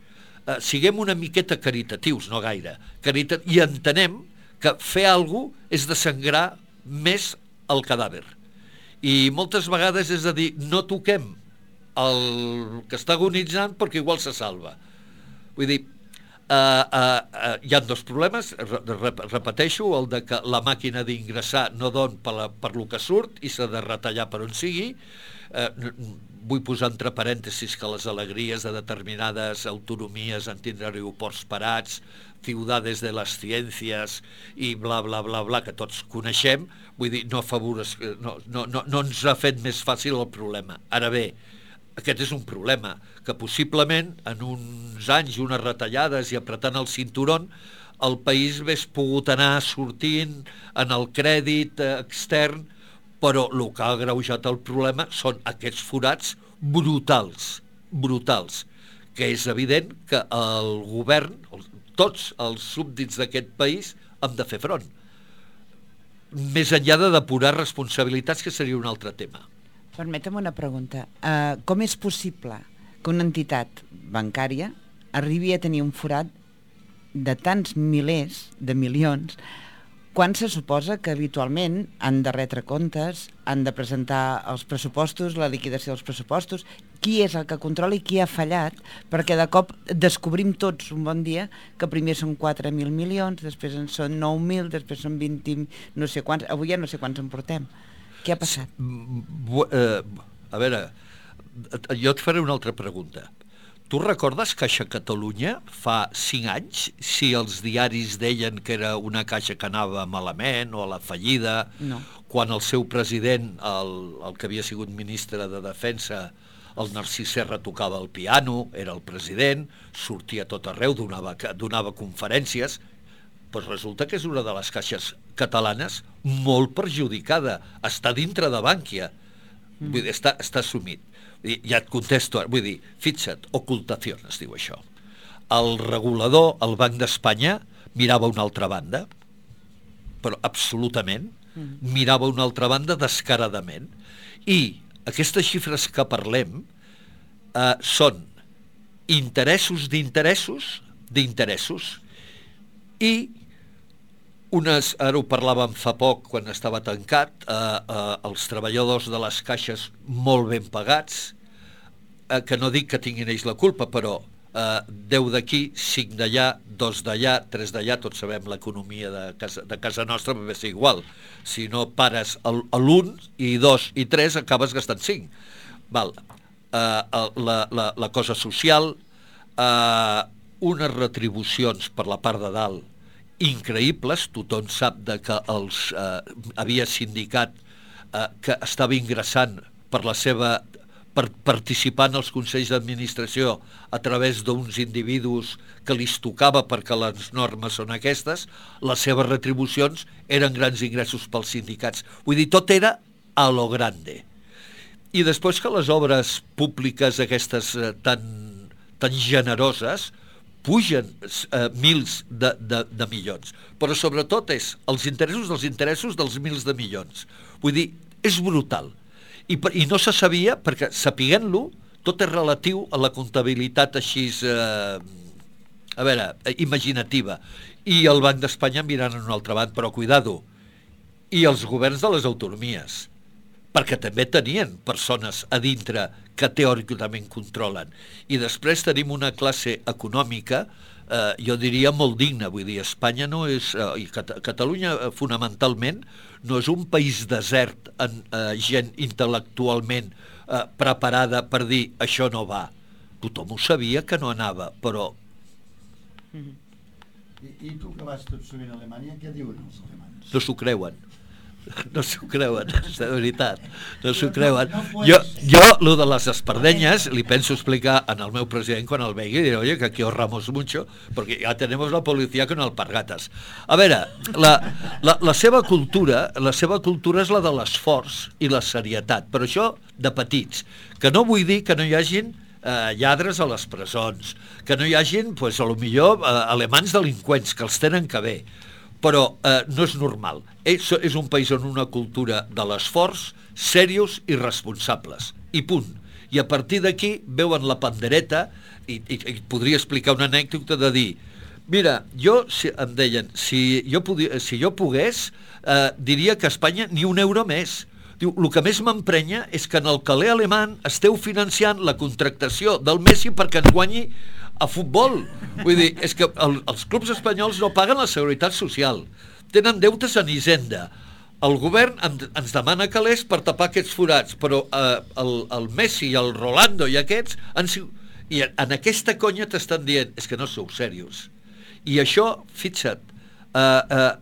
Uh, siguem una miqueta caritatius, no gaire, Caritat i entenem que fer alguna cosa és desangrar més el cadàver. I moltes vegades és a dir, no toquem el que està agonitzant perquè igual se salva. Vull dir, uh, uh, uh, hi ha dos problemes, Rep repeteixo, el de que la màquina d'ingressar no don per, la, per lo que surt i s'ha de retallar per on sigui. Uh, vull posar entre parèntesis que les alegries de determinades autonomies en tindre aeroports parats, ciudades de les ciències i bla, bla, bla, bla, que tots coneixem, vull dir, no, favores, no, no, no, no ens ha fet més fàcil el problema. Ara bé, aquest és un problema, que possiblement en uns anys, unes retallades i apretant el cinturón, el país hagués pogut anar sortint en el crèdit extern, però el que ha agreujat el problema són aquests forats brutals, brutals, que és evident que el govern, tots els súbdits d'aquest país han de fer front. Més enllà de depurar responsabilitats, que seria un altre tema. Permetem una pregunta. Uh, com és possible que una entitat bancària arribi a tenir un forat de tants milers de milions quan se suposa que habitualment han de retre comptes, han de presentar els pressupostos, la liquidació dels pressupostos, qui és el que controla i qui ha fallat, perquè de cop descobrim tots un bon dia que primer són quatre mil milions, després en són nou mil, després són vint, no sé quants, avui ja no sé quants en portem. Què ha passat? A veure, jo et faré una altra pregunta. Tu recordes Caixa Catalunya fa cinc anys, si els diaris deien que era una caixa que anava malament o a la fallida, no. Quan el seu president, el, el que havia sigut ministre de Defensa, el Narcís Serra, tocava el piano, era el president, sortia a tot arreu, donava, donava conferències, doncs resulta que és una de les caixes catalanes molt perjudicada, està dintre de Bànquia, mm. vull dir, està, està assumit. Ja et contesto, vull dir, fixa't, ocultació es diu això. El regulador, el Banc d'Espanya, mirava una altra banda, però absolutament, mirava una altra banda descaradament. I aquestes xifres que parlem eh, són interessos d'interessos d'interessos i unes, ara ho parlàvem fa poc quan estava tancat, eh, eh, els treballadors de les caixes molt ben pagats, eh, que no dic que tinguin ells la culpa, però eh, deu d'aquí, cinc d'allà, dos d'allà, tres d'allà, tots sabem l'economia de casa, de casa nostra, va ser igual. Si no pares l'un i dos i tres, acabes gastant cinc. Val. Eh, la, la, la cosa social, eh, unes retribucions per la part de dalt increïbles, tothom sap de que els eh, havia sindicat eh, que estava ingressant per la seva per participar en els consells d'administració a través d'uns individus que li tocava perquè les normes són aquestes, les seves retribucions eren grans ingressos pels sindicats. Vull dir, tot era a lo grande. I després que les obres públiques aquestes eh, tan, tan generoses pugen eh, mils de, de, de milions, però sobretot és els interessos dels interessos dels mils de milions. Vull dir, és brutal. I, i no se sabia, perquè sapiguent-lo, tot és relatiu a la comptabilitat així, eh, a veure, imaginativa. I el Banc d'Espanya mirant en una altra banda, però cuidado, i els governs de les autonomies, perquè també tenien persones a dintre que teòricament controlen. I després tenim una classe econòmica eh, jo diria molt digne. Vull dir, Espanya no és... Eh, i Cat Catalunya, eh, fonamentalment, no és un país desert en eh, gent intel·lectualment eh, preparada per dir això no va. Tothom ho sabia que no anava, però... I, I tu que vas tot sovint a Alemanya, què diuen els alemans? No s'ho creuen. No s'ho creuen, de veritat. No s'ho creuen. Jo, jo, lo de les espardenyes, li penso explicar en el meu president quan el vegi, i diré, oye, que aquí ahorramos mucho, porque ya tenemos la policía con alpargatas. A veure, la, la, la seva cultura, la seva cultura és la de l'esforç i la serietat, però això de petits, que no vull dir que no hi hagin eh, lladres a les presons, que no hi hagin, pues, a lo millor, eh, alemans delinqüents, que els tenen que bé, però eh, no és normal. És, és un país on una cultura de l'esforç, serios i responsables, i punt. I a partir d'aquí veuen la pandereta, i, i, i podria explicar una anècdota de dir, mira, jo, si, em deien, si jo, podia, si jo pogués, eh, diria que a Espanya ni un euro més. Diu, el que més m'emprenya és que en el caler alemany esteu financiant la contractació del Messi perquè ens guanyi a futbol. Vull dir, és que el, els clubs espanyols no paguen la seguretat social, tenen deutes en Hisenda, el govern en, ens demana calés per tapar aquests forats, però eh, el, el Messi i el Rolando i aquests han, i en aquesta conya t'estan dient és que no sou serios. I això, fixa't, eh, eh,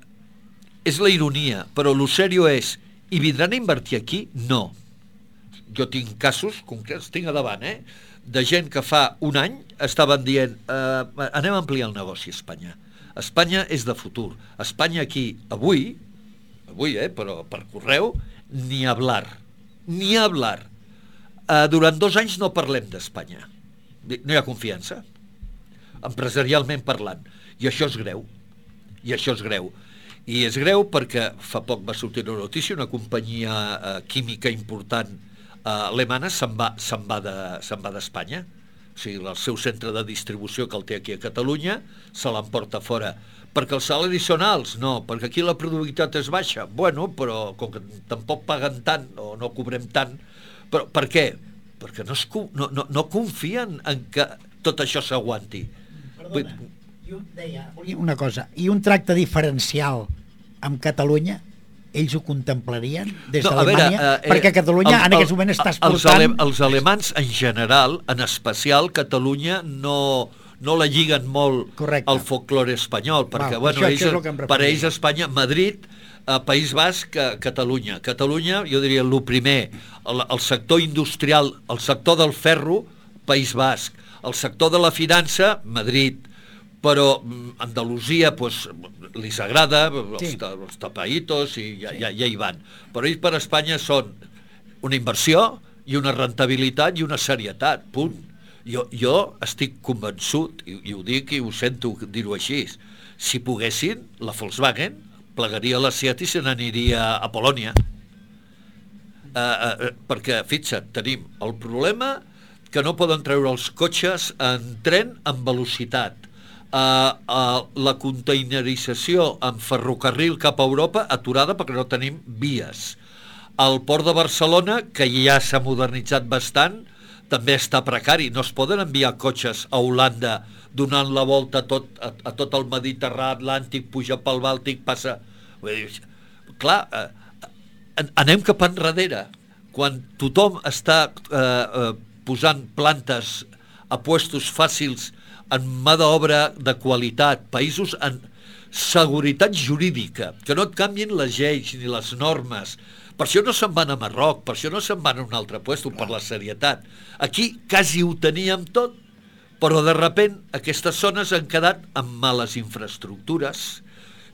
és la ironia, però lo serio és, i vindran a invertir aquí? No. Jo tinc casos concrets, tinc a davant, eh? de gent que fa un any estaven dient eh, anem a ampliar el negoci a Espanya. Espanya és de futur. Espanya aquí, avui, avui, eh, però per correu, ni hablar. Ni hablar. Eh, durant dos anys no parlem d'Espanya. No hi ha confiança, empresarialment parlant. I això és greu. I això és greu. I és greu perquè fa poc va sortir una notícia, una companyia eh, química important Uh, alemana se'n va, se'n va de, se'n va d'Espanya. O sigui, el seu centre de distribució que el té aquí a Catalunya se l'emporta fora. Perquè els salaris són alts? No, perquè aquí la productivitat és baixa. Bueno, però com que tampoc paguen tant o no cobrem tant. Però per què? Perquè no, es, no, no, no confien en que tot això s'aguanti. Perdona, jo deia una cosa, i un tracte diferencial amb Catalunya, ells ho contemplarien des no, d'Alemanya? Eh, eh, perquè Catalunya el, el, en aquest moment està exportant... Els, ale, els alemans en general, en especial Catalunya, no, no la lliguen molt Correcte. Al folklore espanyol, perquè Val, bueno, això, ells, això per ells Espanya, Madrid, eh, País Basc, eh, Catalunya. Catalunya, jo diria, el primer, el, el sector industrial, el sector del ferro, País Basc, el sector de la finança, Madrid, però Andalusia pues, li agrada, sí. els, els tapaitos i ja, sí. ja, ja hi van, però ells per Espanya són una inversió i una rentabilitat i una serietat, punt. Jo, jo estic convençut, i, i ho dic i ho sento dir-ho així, si poguessin, la Volkswagen plegaria la Seat i se n'aniria a Polònia, uh, uh, perquè fixa't, tenim el problema que no poden treure els cotxes en tren amb velocitat. Uh, uh, la containerització en ferrocarril cap a Europa aturada perquè no tenim vies. El port de Barcelona, que ja s'ha modernitzat bastant, també està precari. No es poden enviar cotxes a Holanda donant la volta a tot, a, a tot el Mediterrani, Atlàntic, puja pel Bàltic, passa... Clar, uh, anem cap enrere. Quan tothom està uh, uh, posant plantes a puestos fàcils en mà d'obra de qualitat, països en seguretat jurídica, que no et canvien les lleis ni les normes. Per això no se'n van a Marroc, per això no se'n van a un altre lloc, per la serietat. Aquí quasi ho teníem tot, però de sobte aquestes zones han quedat amb males infraestructures.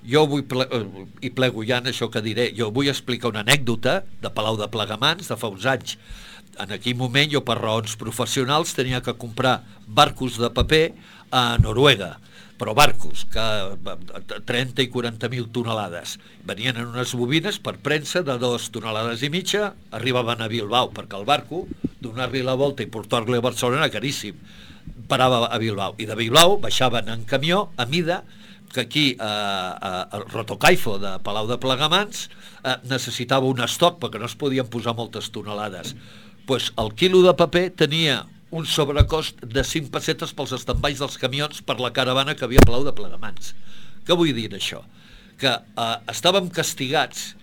Jo vull, ple... i plego ja en això que diré, jo vull explicar una anècdota de Palau de Plegamans de fa uns anys. En aquell moment jo per raons professionals tenia que comprar barcos de paper a Noruega, però barcos que trenta i quaranta mil tonelades venien en unes bobines per premsa de dos tonelades i mitja, arribaven a Bilbao perquè el barco, donar-li la volta i portar-li a Barcelona era caríssim, parava a Bilbao i de Bilbao baixaven en camió a mida, que aquí eh, eh, el Rotocaifo de Palau de Plegamans eh, necessitava un estoc perquè no es podien posar moltes tonelades. Pues el quilo de paper tenia un sobrecost de cinc pessetes pels estambais dels camions per la caravana que havia a Palau de Plegamans. Què vull dir això? Que eh, estàvem castigats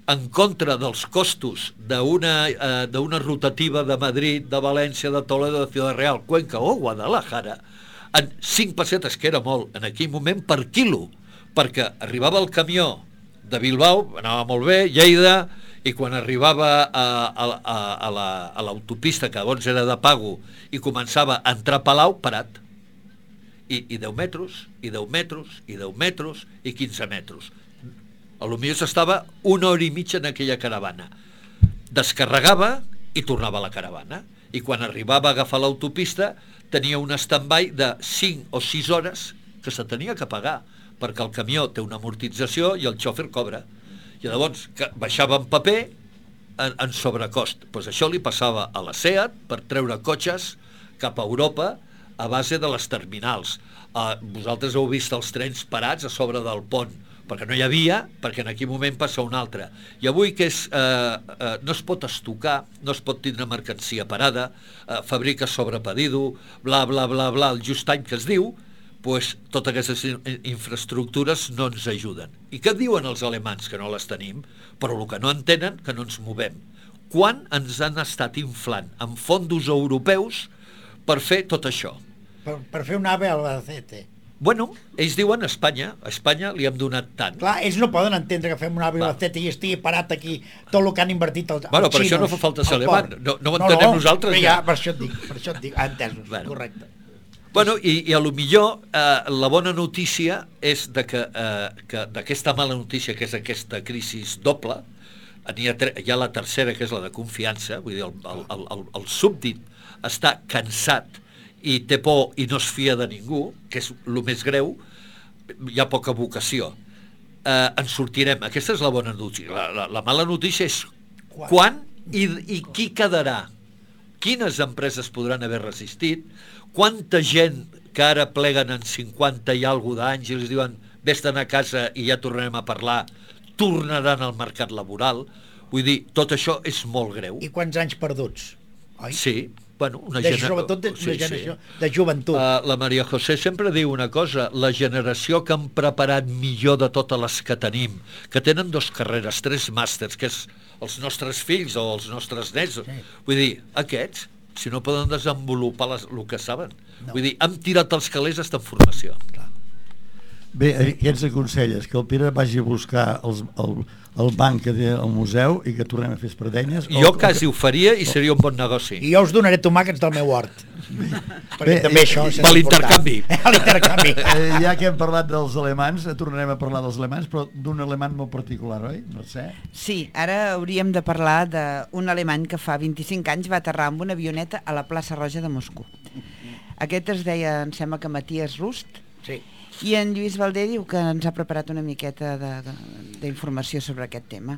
en contra dels costos d'una eh, d'una rotativa de Madrid, de València, de Toledo, de Ciudad Real, Cuenca o Guadalajara, en cinc pessetes, que era molt en aquell moment, per quilo, perquè arribava el camió de Bilbao, anava molt bé, Lleida, i quan arribava a, a, a, a la, a l'autopista, que llavors era de pago, i començava a entrar a Palau, parat. I, i deu metres, i deu metres, i deu metres, i quinze metres. A lo millor s'estava una hora i mitja en aquella caravana. Descarregava i tornava a la caravana. I quan arribava a agafar l'autopista tenia un stand-by de cinc o sis hores que se tenia que pagar, perquè el camió té una amortització i el xòfer cobra. I llavors que baixava en paper en, en sobrecost. Pues això li passava a la SEAT per treure cotxes cap a Europa a base de les terminals. Uh, vosaltres heu vist els trens parats a sobre del pont, perquè no hi havia, perquè en aquell moment passa un altre. I avui que és, eh, eh, no es pot estocar, no es pot tindre mercancia parada, eh, fabrica sobre pedido, bla, bla, bla, bla, el just any que es diu, pues, totes aquestes infraestructures no ens ajuden. I què diuen els alemans? Que no les tenim, però el que no entenen, que no ens movem. Quan ens han estat inflant amb fondos europeus per fer tot això? Per, per fer un AVE a l'Albacete. Bueno, ells diuen Espanya, a Espanya li hem donat tant. Clar, ells no poden entendre que fem un AVE a l'Albacete i estigui parat aquí tot el que han invertit els, bueno, els per xinos. Això no fa falta ser alemany, no, no ho entenem no, no, nosaltres. Ja, per això et dic, per això et dic, entesos, bueno. Correcte. Bueno, i, i a lo millor eh, la bona notícia és de que, eh, que d'aquesta mala notícia, que és aquesta crisi doble, hi ha, hi ha la tercera, que és la de confiança, vull dir, el, el, el, el, el súbdit està cansat i té por i no es fia de ningú, que és el més greu, hi ha poca vocació. Eh, en sortirem, aquesta és la bona notícia. La, la, la mala notícia és quan, quan i, i qui quedarà. Quines empreses podran haver resistit, quanta gent que ara pleguen en cinquanta i alguna d'anys i els diuen vés-te'n a casa i ja tornarem a parlar, tornaran al mercat laboral. Vull dir, tot això és molt greu. I quants anys perduts, oi? Sí, bueno, una de, generació... Sobretot de, sí, una generació sí. de joventut. Uh, la Maria José sempre diu una cosa, la generació que han preparat millor de totes les que tenim, que tenen dos carreres, tres màsters, que és els nostres fills o els nostres nets. Sí. Vull dir, aquests, si no poden desenvolupar les, el que saben. No. Vull dir, hem tirat els calés a en formació. Clar. Bé, què ens aconselles? Que el Pere vagi a buscar els, el, el banc que té al museu i que tornem a fer espardenyes? Jo o, quasi ho faria i seria un bon negoci. I jo us donaré tomàquets del meu hort. Perquè Bé, també això és per l'intercanvi. l'intercanvi. Eh, ja que hem parlat dels alemans, tornarem a parlar dels alemans, però d'un alemany molt particular, oi? No sé. Sí, ara hauríem de parlar d'un alemany que fa vint-i-cinc anys va aterrar amb una avioneta a la plaça Roja de Moscou. Aquest es deia, em sembla que Matías Rust, sí. I en Lluís Valdé diu que ens ha preparat una miqueta d'informació sobre aquest tema.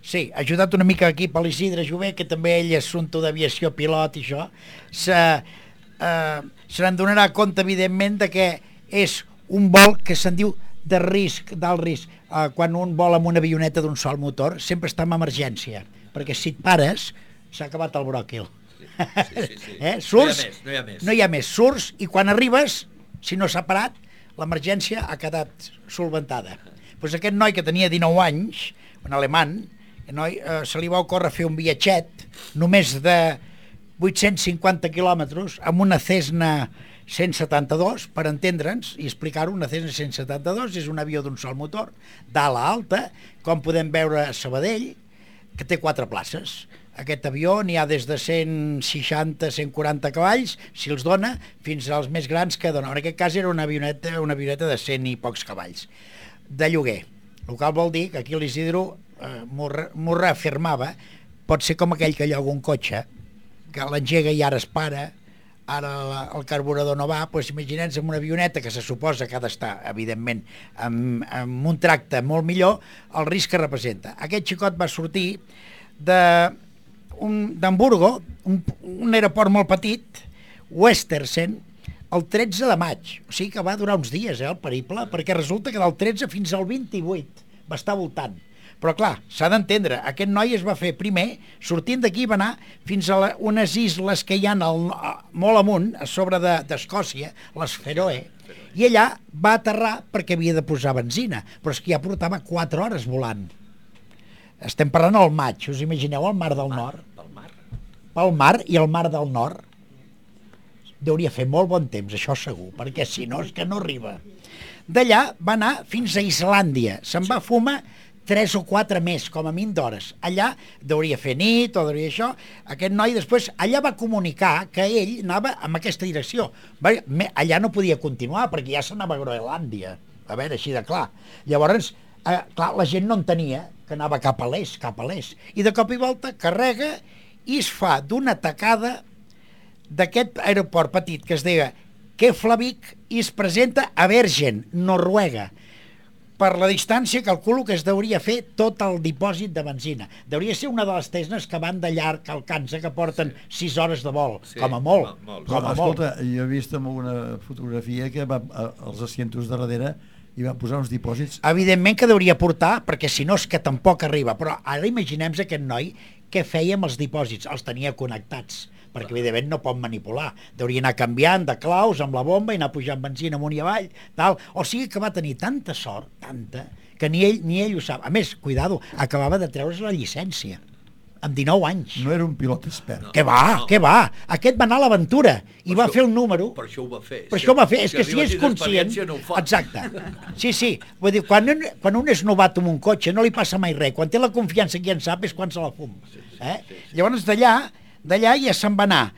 Sí, ha ajudat una mica aquí per l'Isidre Jové, que també ell és assumpte d'aviació, pilot i això. Se, eh, se n'en donarà compte, evidentment, de que és un vol que se'n diu de risc, d'alt risc. Eh, quan un vol amb una avioneta d'un sol motor, sempre està en emergència, perquè si et pares, s'ha acabat el bròquil. Sí, sí, sí. Eh? Surts, no hi ha més, no hi ha més. No hi ha més, surts i quan arribes, si no s'ha parat, l'emergència ha quedat solventada. Pues aquest noi que tenia dinou anys, un alemany, noi, eh, se li va ocórrer fer un viatget només de vuit-cents cinquanta quilòmetres amb una Cessna cent setanta-dos, per entendre'ns i explicar-ho. Una Cessna cent setanta-dos és un avió d'un sol motor, d'ala alta, com podem veure a Sabadell, que té quatre places. Aquest avió n'hi ha des de cent seixanta a cent quaranta cavalls, si els dona, fins als més grans que dona. En aquest cas era una avioneta, una avioneta de cent i pocs cavalls, de lloguer. El qual vol dir que aquí l'Isidro eh, m'ho reafirmava, pot ser com aquell que lloga un cotxe, que l'engega i ara es para, ara el carburador no va, doncs imaginem-nos amb una avioneta que se suposa que ha d'estar, evidentment, amb, amb un tracte molt millor, el risc que representa. Aquest xicot va sortir de d'Hamburgo, un, un aeroport molt petit, Westersen, el tretze de maig, o sigui que va durar uns dies, eh, el periple, perquè resulta que del tretze fins al vint-i-vuit va estar voltant. Però clar, s'ha d'entendre, aquest noi es va fer primer, sortint d'aquí va anar fins a la, unes isles que hi ha al, molt amunt, a sobre d'Escòcia, de, les Feroe, i allà va aterrar perquè havia de posar benzina, però és que ja portava quatre hores volant. Estem parlant al maig, us imagineu el mar del nord? Pel mar. Pel mar i el mar del nord. Deuria fer molt bon temps, això segur, perquè si no és que no arriba. D'allà va anar fins a Islàndia, se'n va fumar tres o quatre més, com a mínim d'hores. Allà deuria fer nit o deuria això. Aquest noi després, allà va comunicar que ell anava en aquesta direcció. Va, allà no podia continuar perquè ja s'anava a Groenlàndia, a veure, així de clar. Llavors, eh, clar, la gent no entenia que anava cap a l'est, cap a l'est. I de cop i volta carrega i es fa d'una tacada d'aquest aeroport petit que es deia Keflavik i es presenta a Bergen, Noruega. Per la distància calculo que es deuria fer tot el dipòsit de benzina. Deuria ser una de les Tesnes que van de llarg al Cansa, que porten sis sí. hores de vol, sí. com a molt. molt. Com a Escolta, molt. jo he vist en alguna fotografia que va als asientos de darrere i va posar uns dipòsits. Evidentment que deuria portar, perquè si no és que tampoc arriba. Però ara imaginem aquest noi què feia amb els dipòsits. Els tenia connectats, perquè evidentment no pot manipular. Deuria anar canviant de claus amb la bomba i anar pujant benzina amunt i avall, tal. O sigui que va tenir tanta sort, tanta, que ni ell ni ell ho sap. A més, cuidado, acabava de treure's la llicència, amb dinou anys. No era un pilot expert. No, què va, no. què va? Aquest va anar a l'aventura i per va això, fer un número. Per això ho va fer. Per si això ho va fer. És si que si és conscient... No exacte. Sí, sí. Vull dir, quan un, quan un és novato amb un cotxe no li passa mai res. Quan té la confiança qui en sap és quan se la fum. Sí, sí, eh? sí, sí. Llavors d'allà d'allà ja se'n va anar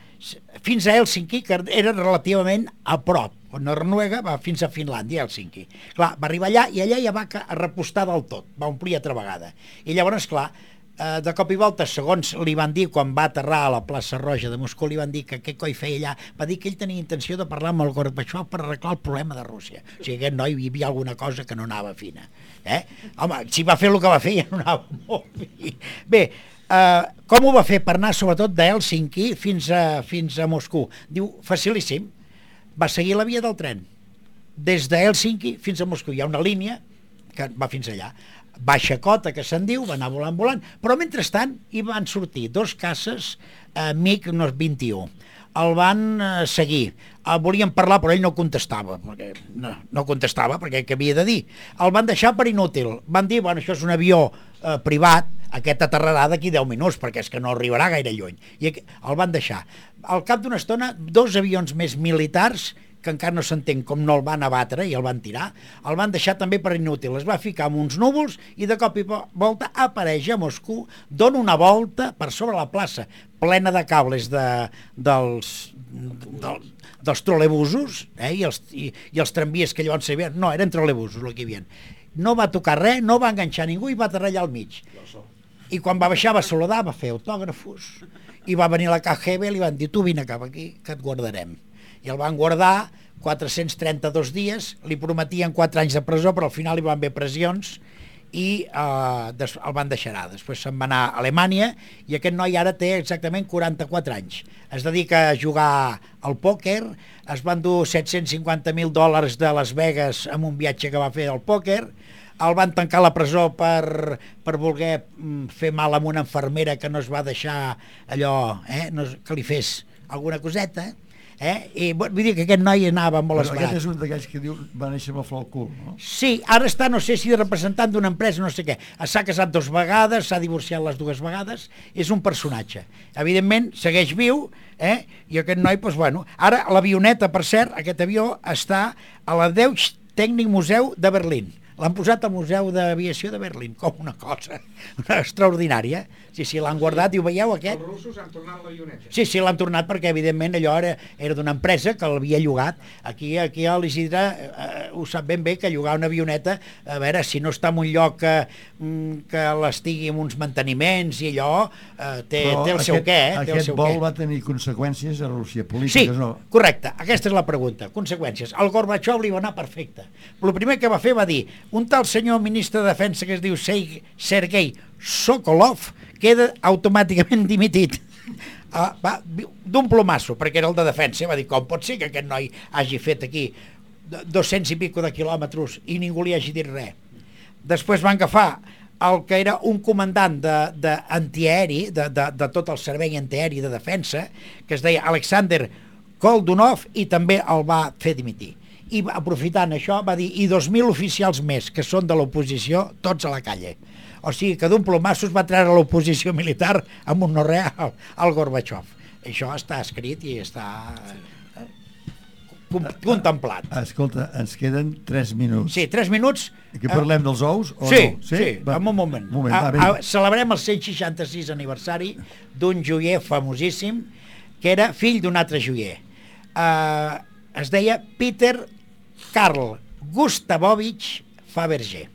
fins a Hèlsinki, que era relativament a prop. Noruega va fins a Finlàndia, Hèlsinki. Clar, va arribar allà i allà ja va repostar del tot, va omplir altra vegada. I llavors, clar, de cop i volta, segons li van dir quan va aterrar a la plaça Roja de Moscou, li van dir que què coi feia allà, va dir que ell tenia intenció de parlar amb el Gorbachev per arreglar el problema de Rússia. O sigui, aquest noi hi havia alguna cosa que no anava fina. Eh? Home, si va fer el que va fer ja no anava molt bé. Bé, Uh, com ho va fer per anar sobretot d'Hèlsinki fins a, fins a Moscou? Diu, facilíssim, va seguir la via del tren des d'Hèlsinki fins a Moscou. Hi ha una línia que va fins allà, baixa cota que se'n diu, va anar volant volant, però mentrestant hi van sortir dos caces uh, MiG vint i u. El van uh, seguir, uh, volien parlar però ell no contestava, perquè no, no contestava perquè què havia de dir. El van deixar per inútil, van dir, bueno, això és un avió uh, privat, aquest aterrarà d'aquí deu minuts perquè és que no arribarà gaire lluny, i el van deixar. Al cap d'una estona, dos avions més militars, que encara no s'entén com no el van abatre i el van tirar, el van deixar també per inútil, es va ficar amb uns núvols i de cop i volta apareix a Moscou, dona una volta per sobre la plaça, plena de cables de, dels, del, dels trolebusos, eh, i, els, i, i els tramvies que llavors s'hi havien, no, eren trolebusos el que hi havia. No va tocar res, no va enganxar ningú i va aterrar allà al mig. I quan va baixar va saludar, va fer autògrafos i va venir la K G B i li van dir, tu vine cap aquí que et guardarem. I el van guardar quatre-cents trenta-dos dies, li prometien quatre anys de presó, però al final hi van haver pressions i eh, el van deixar. Després se'n va anar a Alemanya i aquest noi ara té exactament quaranta-quatre anys. Es dedica a jugar al pòquer, es van dur set-cents cinquanta mil dòlars de Las Vegas amb un viatge que va fer al pòquer, el van tancar a la presó per, per voler fer mal amb una infermera que no es va deixar allò, eh, no, que li fes alguna coseta, eh? I vull dir que aquest noi anava molt esbarat. Aquest és un d'aquells que diu va néixer amb el flor al cul, no? Sí, ara està, no sé si de representant d'una empresa, no sé què. S'ha casat dues vegades, s'ha divorciat les dues vegades, és un personatge. Evidentment, segueix viu, eh? I aquest noi, doncs, bueno, ara l'avioneta, per cert, aquest avió està a la Deutsche Technik Museum de Berlín. L'han posat al Museu d'Aviació de Berlín, com una cosa extraordinària. Sí, sí, l'han guardat, i ho veieu, aquest? Els russos han tornat l'avioneta. Sí, sí, l'han tornat perquè, evidentment, allò era, era d'una empresa que l'havia llogat. Aquí, aquí a l'Isidre eh, ho sap ben bé, que llogar una avioneta, a veure, si no està en un lloc que, que l'estigui amb uns manteniments i allò, eh, té, té el aquest, seu què, eh? Té Aquest el seu vol què. va tenir conseqüències a Rússia, polítiques, sí, no? correcte, aquesta és la pregunta, conseqüències. El Gorbachev li va anar perfecte. El primer que va fer va dir, un tal senyor ministre de Defensa que es diu Sergei Sokolov queda automàticament dimitit. Uh, va, d'un plomasso, perquè era el de defensa, va dir, com pot ser que aquest noi hagi fet aquí dos-cents i pico de quilòmetres i ningú li hagi dit res. Després van agafar el que era un comandant d'antiaeri, de, de, de, de tot el servei antiaeri de defensa, que es deia Alexander Koldunov, i també el va fer dimitir. I aprofitant això va dir, i dos mil oficials més que són de l'oposició, tots a la calle. O sigui que d'un plomasso es va treure l'oposició militar amb un no res al, al Gorbachev. Això està escrit i està com, contemplat. Escolta, ens queden tres minuts. Sí, tres minuts. Que parlem dels ous o sí, no? Sí, sí, va. En un moment. moment va, a, a, celebrem el cent seixanta-sis aniversari d'un joier famosíssim que era fill d'un altre joier. Uh, es deia Peter Karl Gustavovich Fabergé.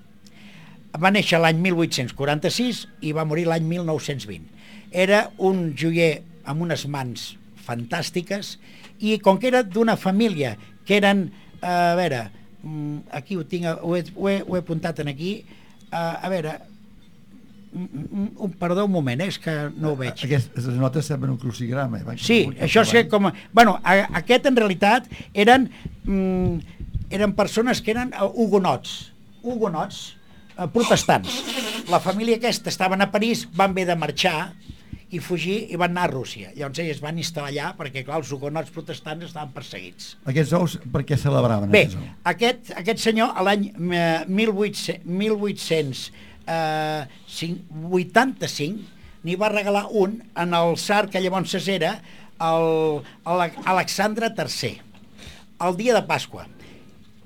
Va néixer l'any mil vuit-cents quaranta-sis i va morir l'any mil nou-cents vint. Era un joier amb unes mans fantàstiques i com que era d'una família que eren, uh, a veure, aquí ho tinc, ho he, ho he, ho he apuntat en aquí, uh, a veure, un, perdó un moment, eh, és que no ho veig. Aquestes notes semblen un crucigrama. Eh? Sí, això és que com... Bueno, a, aquest en realitat eren, mm, eren persones que eren hugonots, hugonots, eh, protestants. La família aquesta estaven a París, van haver de marxar i fugir i van anar a Rússia. Llavors ells van instal·lar allà perquè, clar, els hugonots protestants estaven perseguits. Aquests ous, per què celebraven? Bé, aquest, aquest senyor, a l'any mil vuit-cents vuitanta-cinc, n'hi va regalar un en el tsar que llavors era Alexandre tercer, el dia de Pasqua.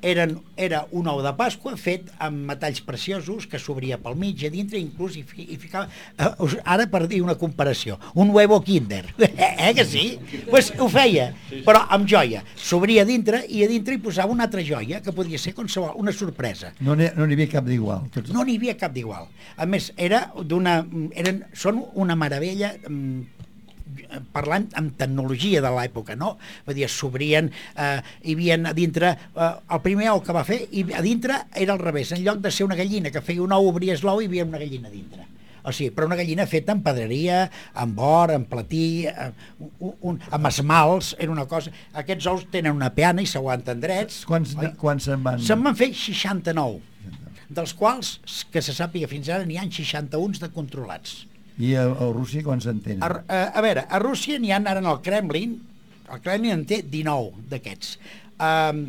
Eren, era un ou de Pasqua fet amb metalls preciosos que s'obria pel mig a dintre, inclús hi, hi ficava, eh, ara per dir una comparació, un huevo Kinder, eh que sí? Pues ho feia, però amb joia, s'obria a dintre i a dintre hi posava una altra joia que podia ser qualsevol, una sorpresa. No n'hi no havia cap d'igual. Tots... No n'hi havia cap d'igual. A més, era d'una, eren, són una meravella, parlant amb tecnologia de l'època, no? Vull dir, s'obrien, eh, hi havia a dintre, eh, el primer ou que va fer, i a dintre era al revés, en lloc de ser una gallina que feia un ou, obries l'ou i hi havia una gallina a dintre. O sigui, però una gallina feta amb pedreria, amb or, amb platí, eh, un, un, amb esmalts, era una cosa... Aquests ous tenen una peana i s'aguanten drets. Quants, quants se'n van? Se'n van fer seixanta-nou, dels quals, que se sàpiga fins ara, n'hi ha seixanta-un de controlats. I a, a Rússia quan se'n tenen? A, a, a veure, a Rússia n'hi ha ara en el Kremlin, el Kremlin en té dinou d'aquests. Um,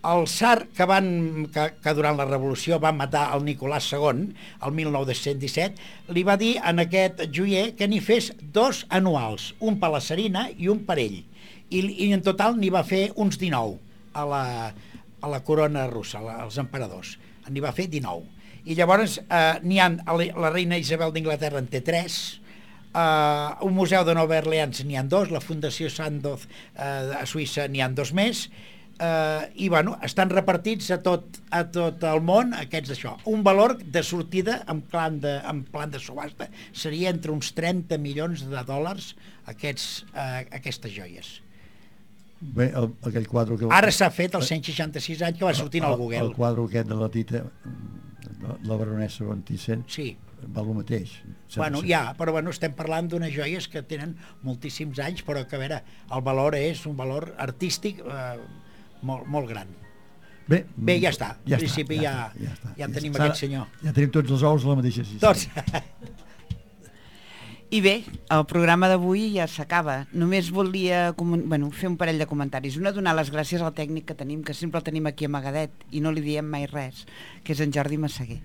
el tsar que, van, que, que durant la revolució va matar el Nicolàs segon, el mil nou-cents disset, li va dir en aquest joier que n'hi fes dos anuals, un per la Tsarina i un per ell. I, i en total n'hi va fer uns dinou a la, a la corona russa, als emperadors. N'hi va fer dinou. I llavors eh, n'hi ha, la reina Isabel d'Inglaterra en té tres, eh, un museu de Nova Orleans n'hi ha dos, la Fundació Sandoz eh, a Suïssa n'hi ha dos més, eh, i bueno, estan repartits a tot, a tot el món aquests d'això. Un valor de sortida en plan de, en plan de subhasta seria entre uns trenta milions de dòlars aquests, eh, aquestes joies. Bé, el, aquell quadre que... Ara s'ha fet els cent seixanta-sis anys que va sortir al Google. El, el quadre aquest de la Tita, la, la baronessa Venticent, sí. Val el mateix. Bueno, ja, però bueno, estem parlant d'unes joies que tenen moltíssims anys, però que a veure, el valor és un valor artístic eh, molt, molt gran. Bé, Bé, ja està. Ja, en principi està, ja, ja, ja, està, ja ja tenim està. aquest senyor. Ja tenim tots els ous a la mateixa cistella. Tots. I bé, el programa d'avui ja s'acaba. Només volia bueno, fer un parell de comentaris. Una, donar les gràcies al tècnic que tenim, que sempre el tenim aquí amagadet i no li diem mai res, que és en Jordi Massaguer.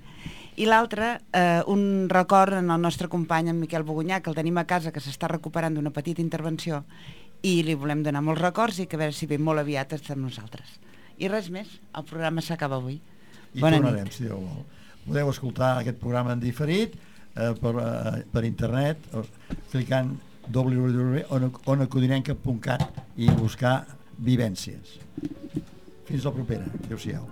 I l'altre, eh, un record en el nostre company, en Miquel Bogunyà, que el tenim a casa, que s'està recuperant d'una petita intervenció, i li volem donar molts records i que a veure si ve molt aviat està amb nosaltres. I res més, el programa s'acaba avui. I Bona tornarem, nit. si Déu vol. Podeu escoltar aquest programa en diferit, Eh, per, eh, per internet, clicant w w w punt ona codinenca punt cat i buscar vivències. Fins la propera. Adéu-siau.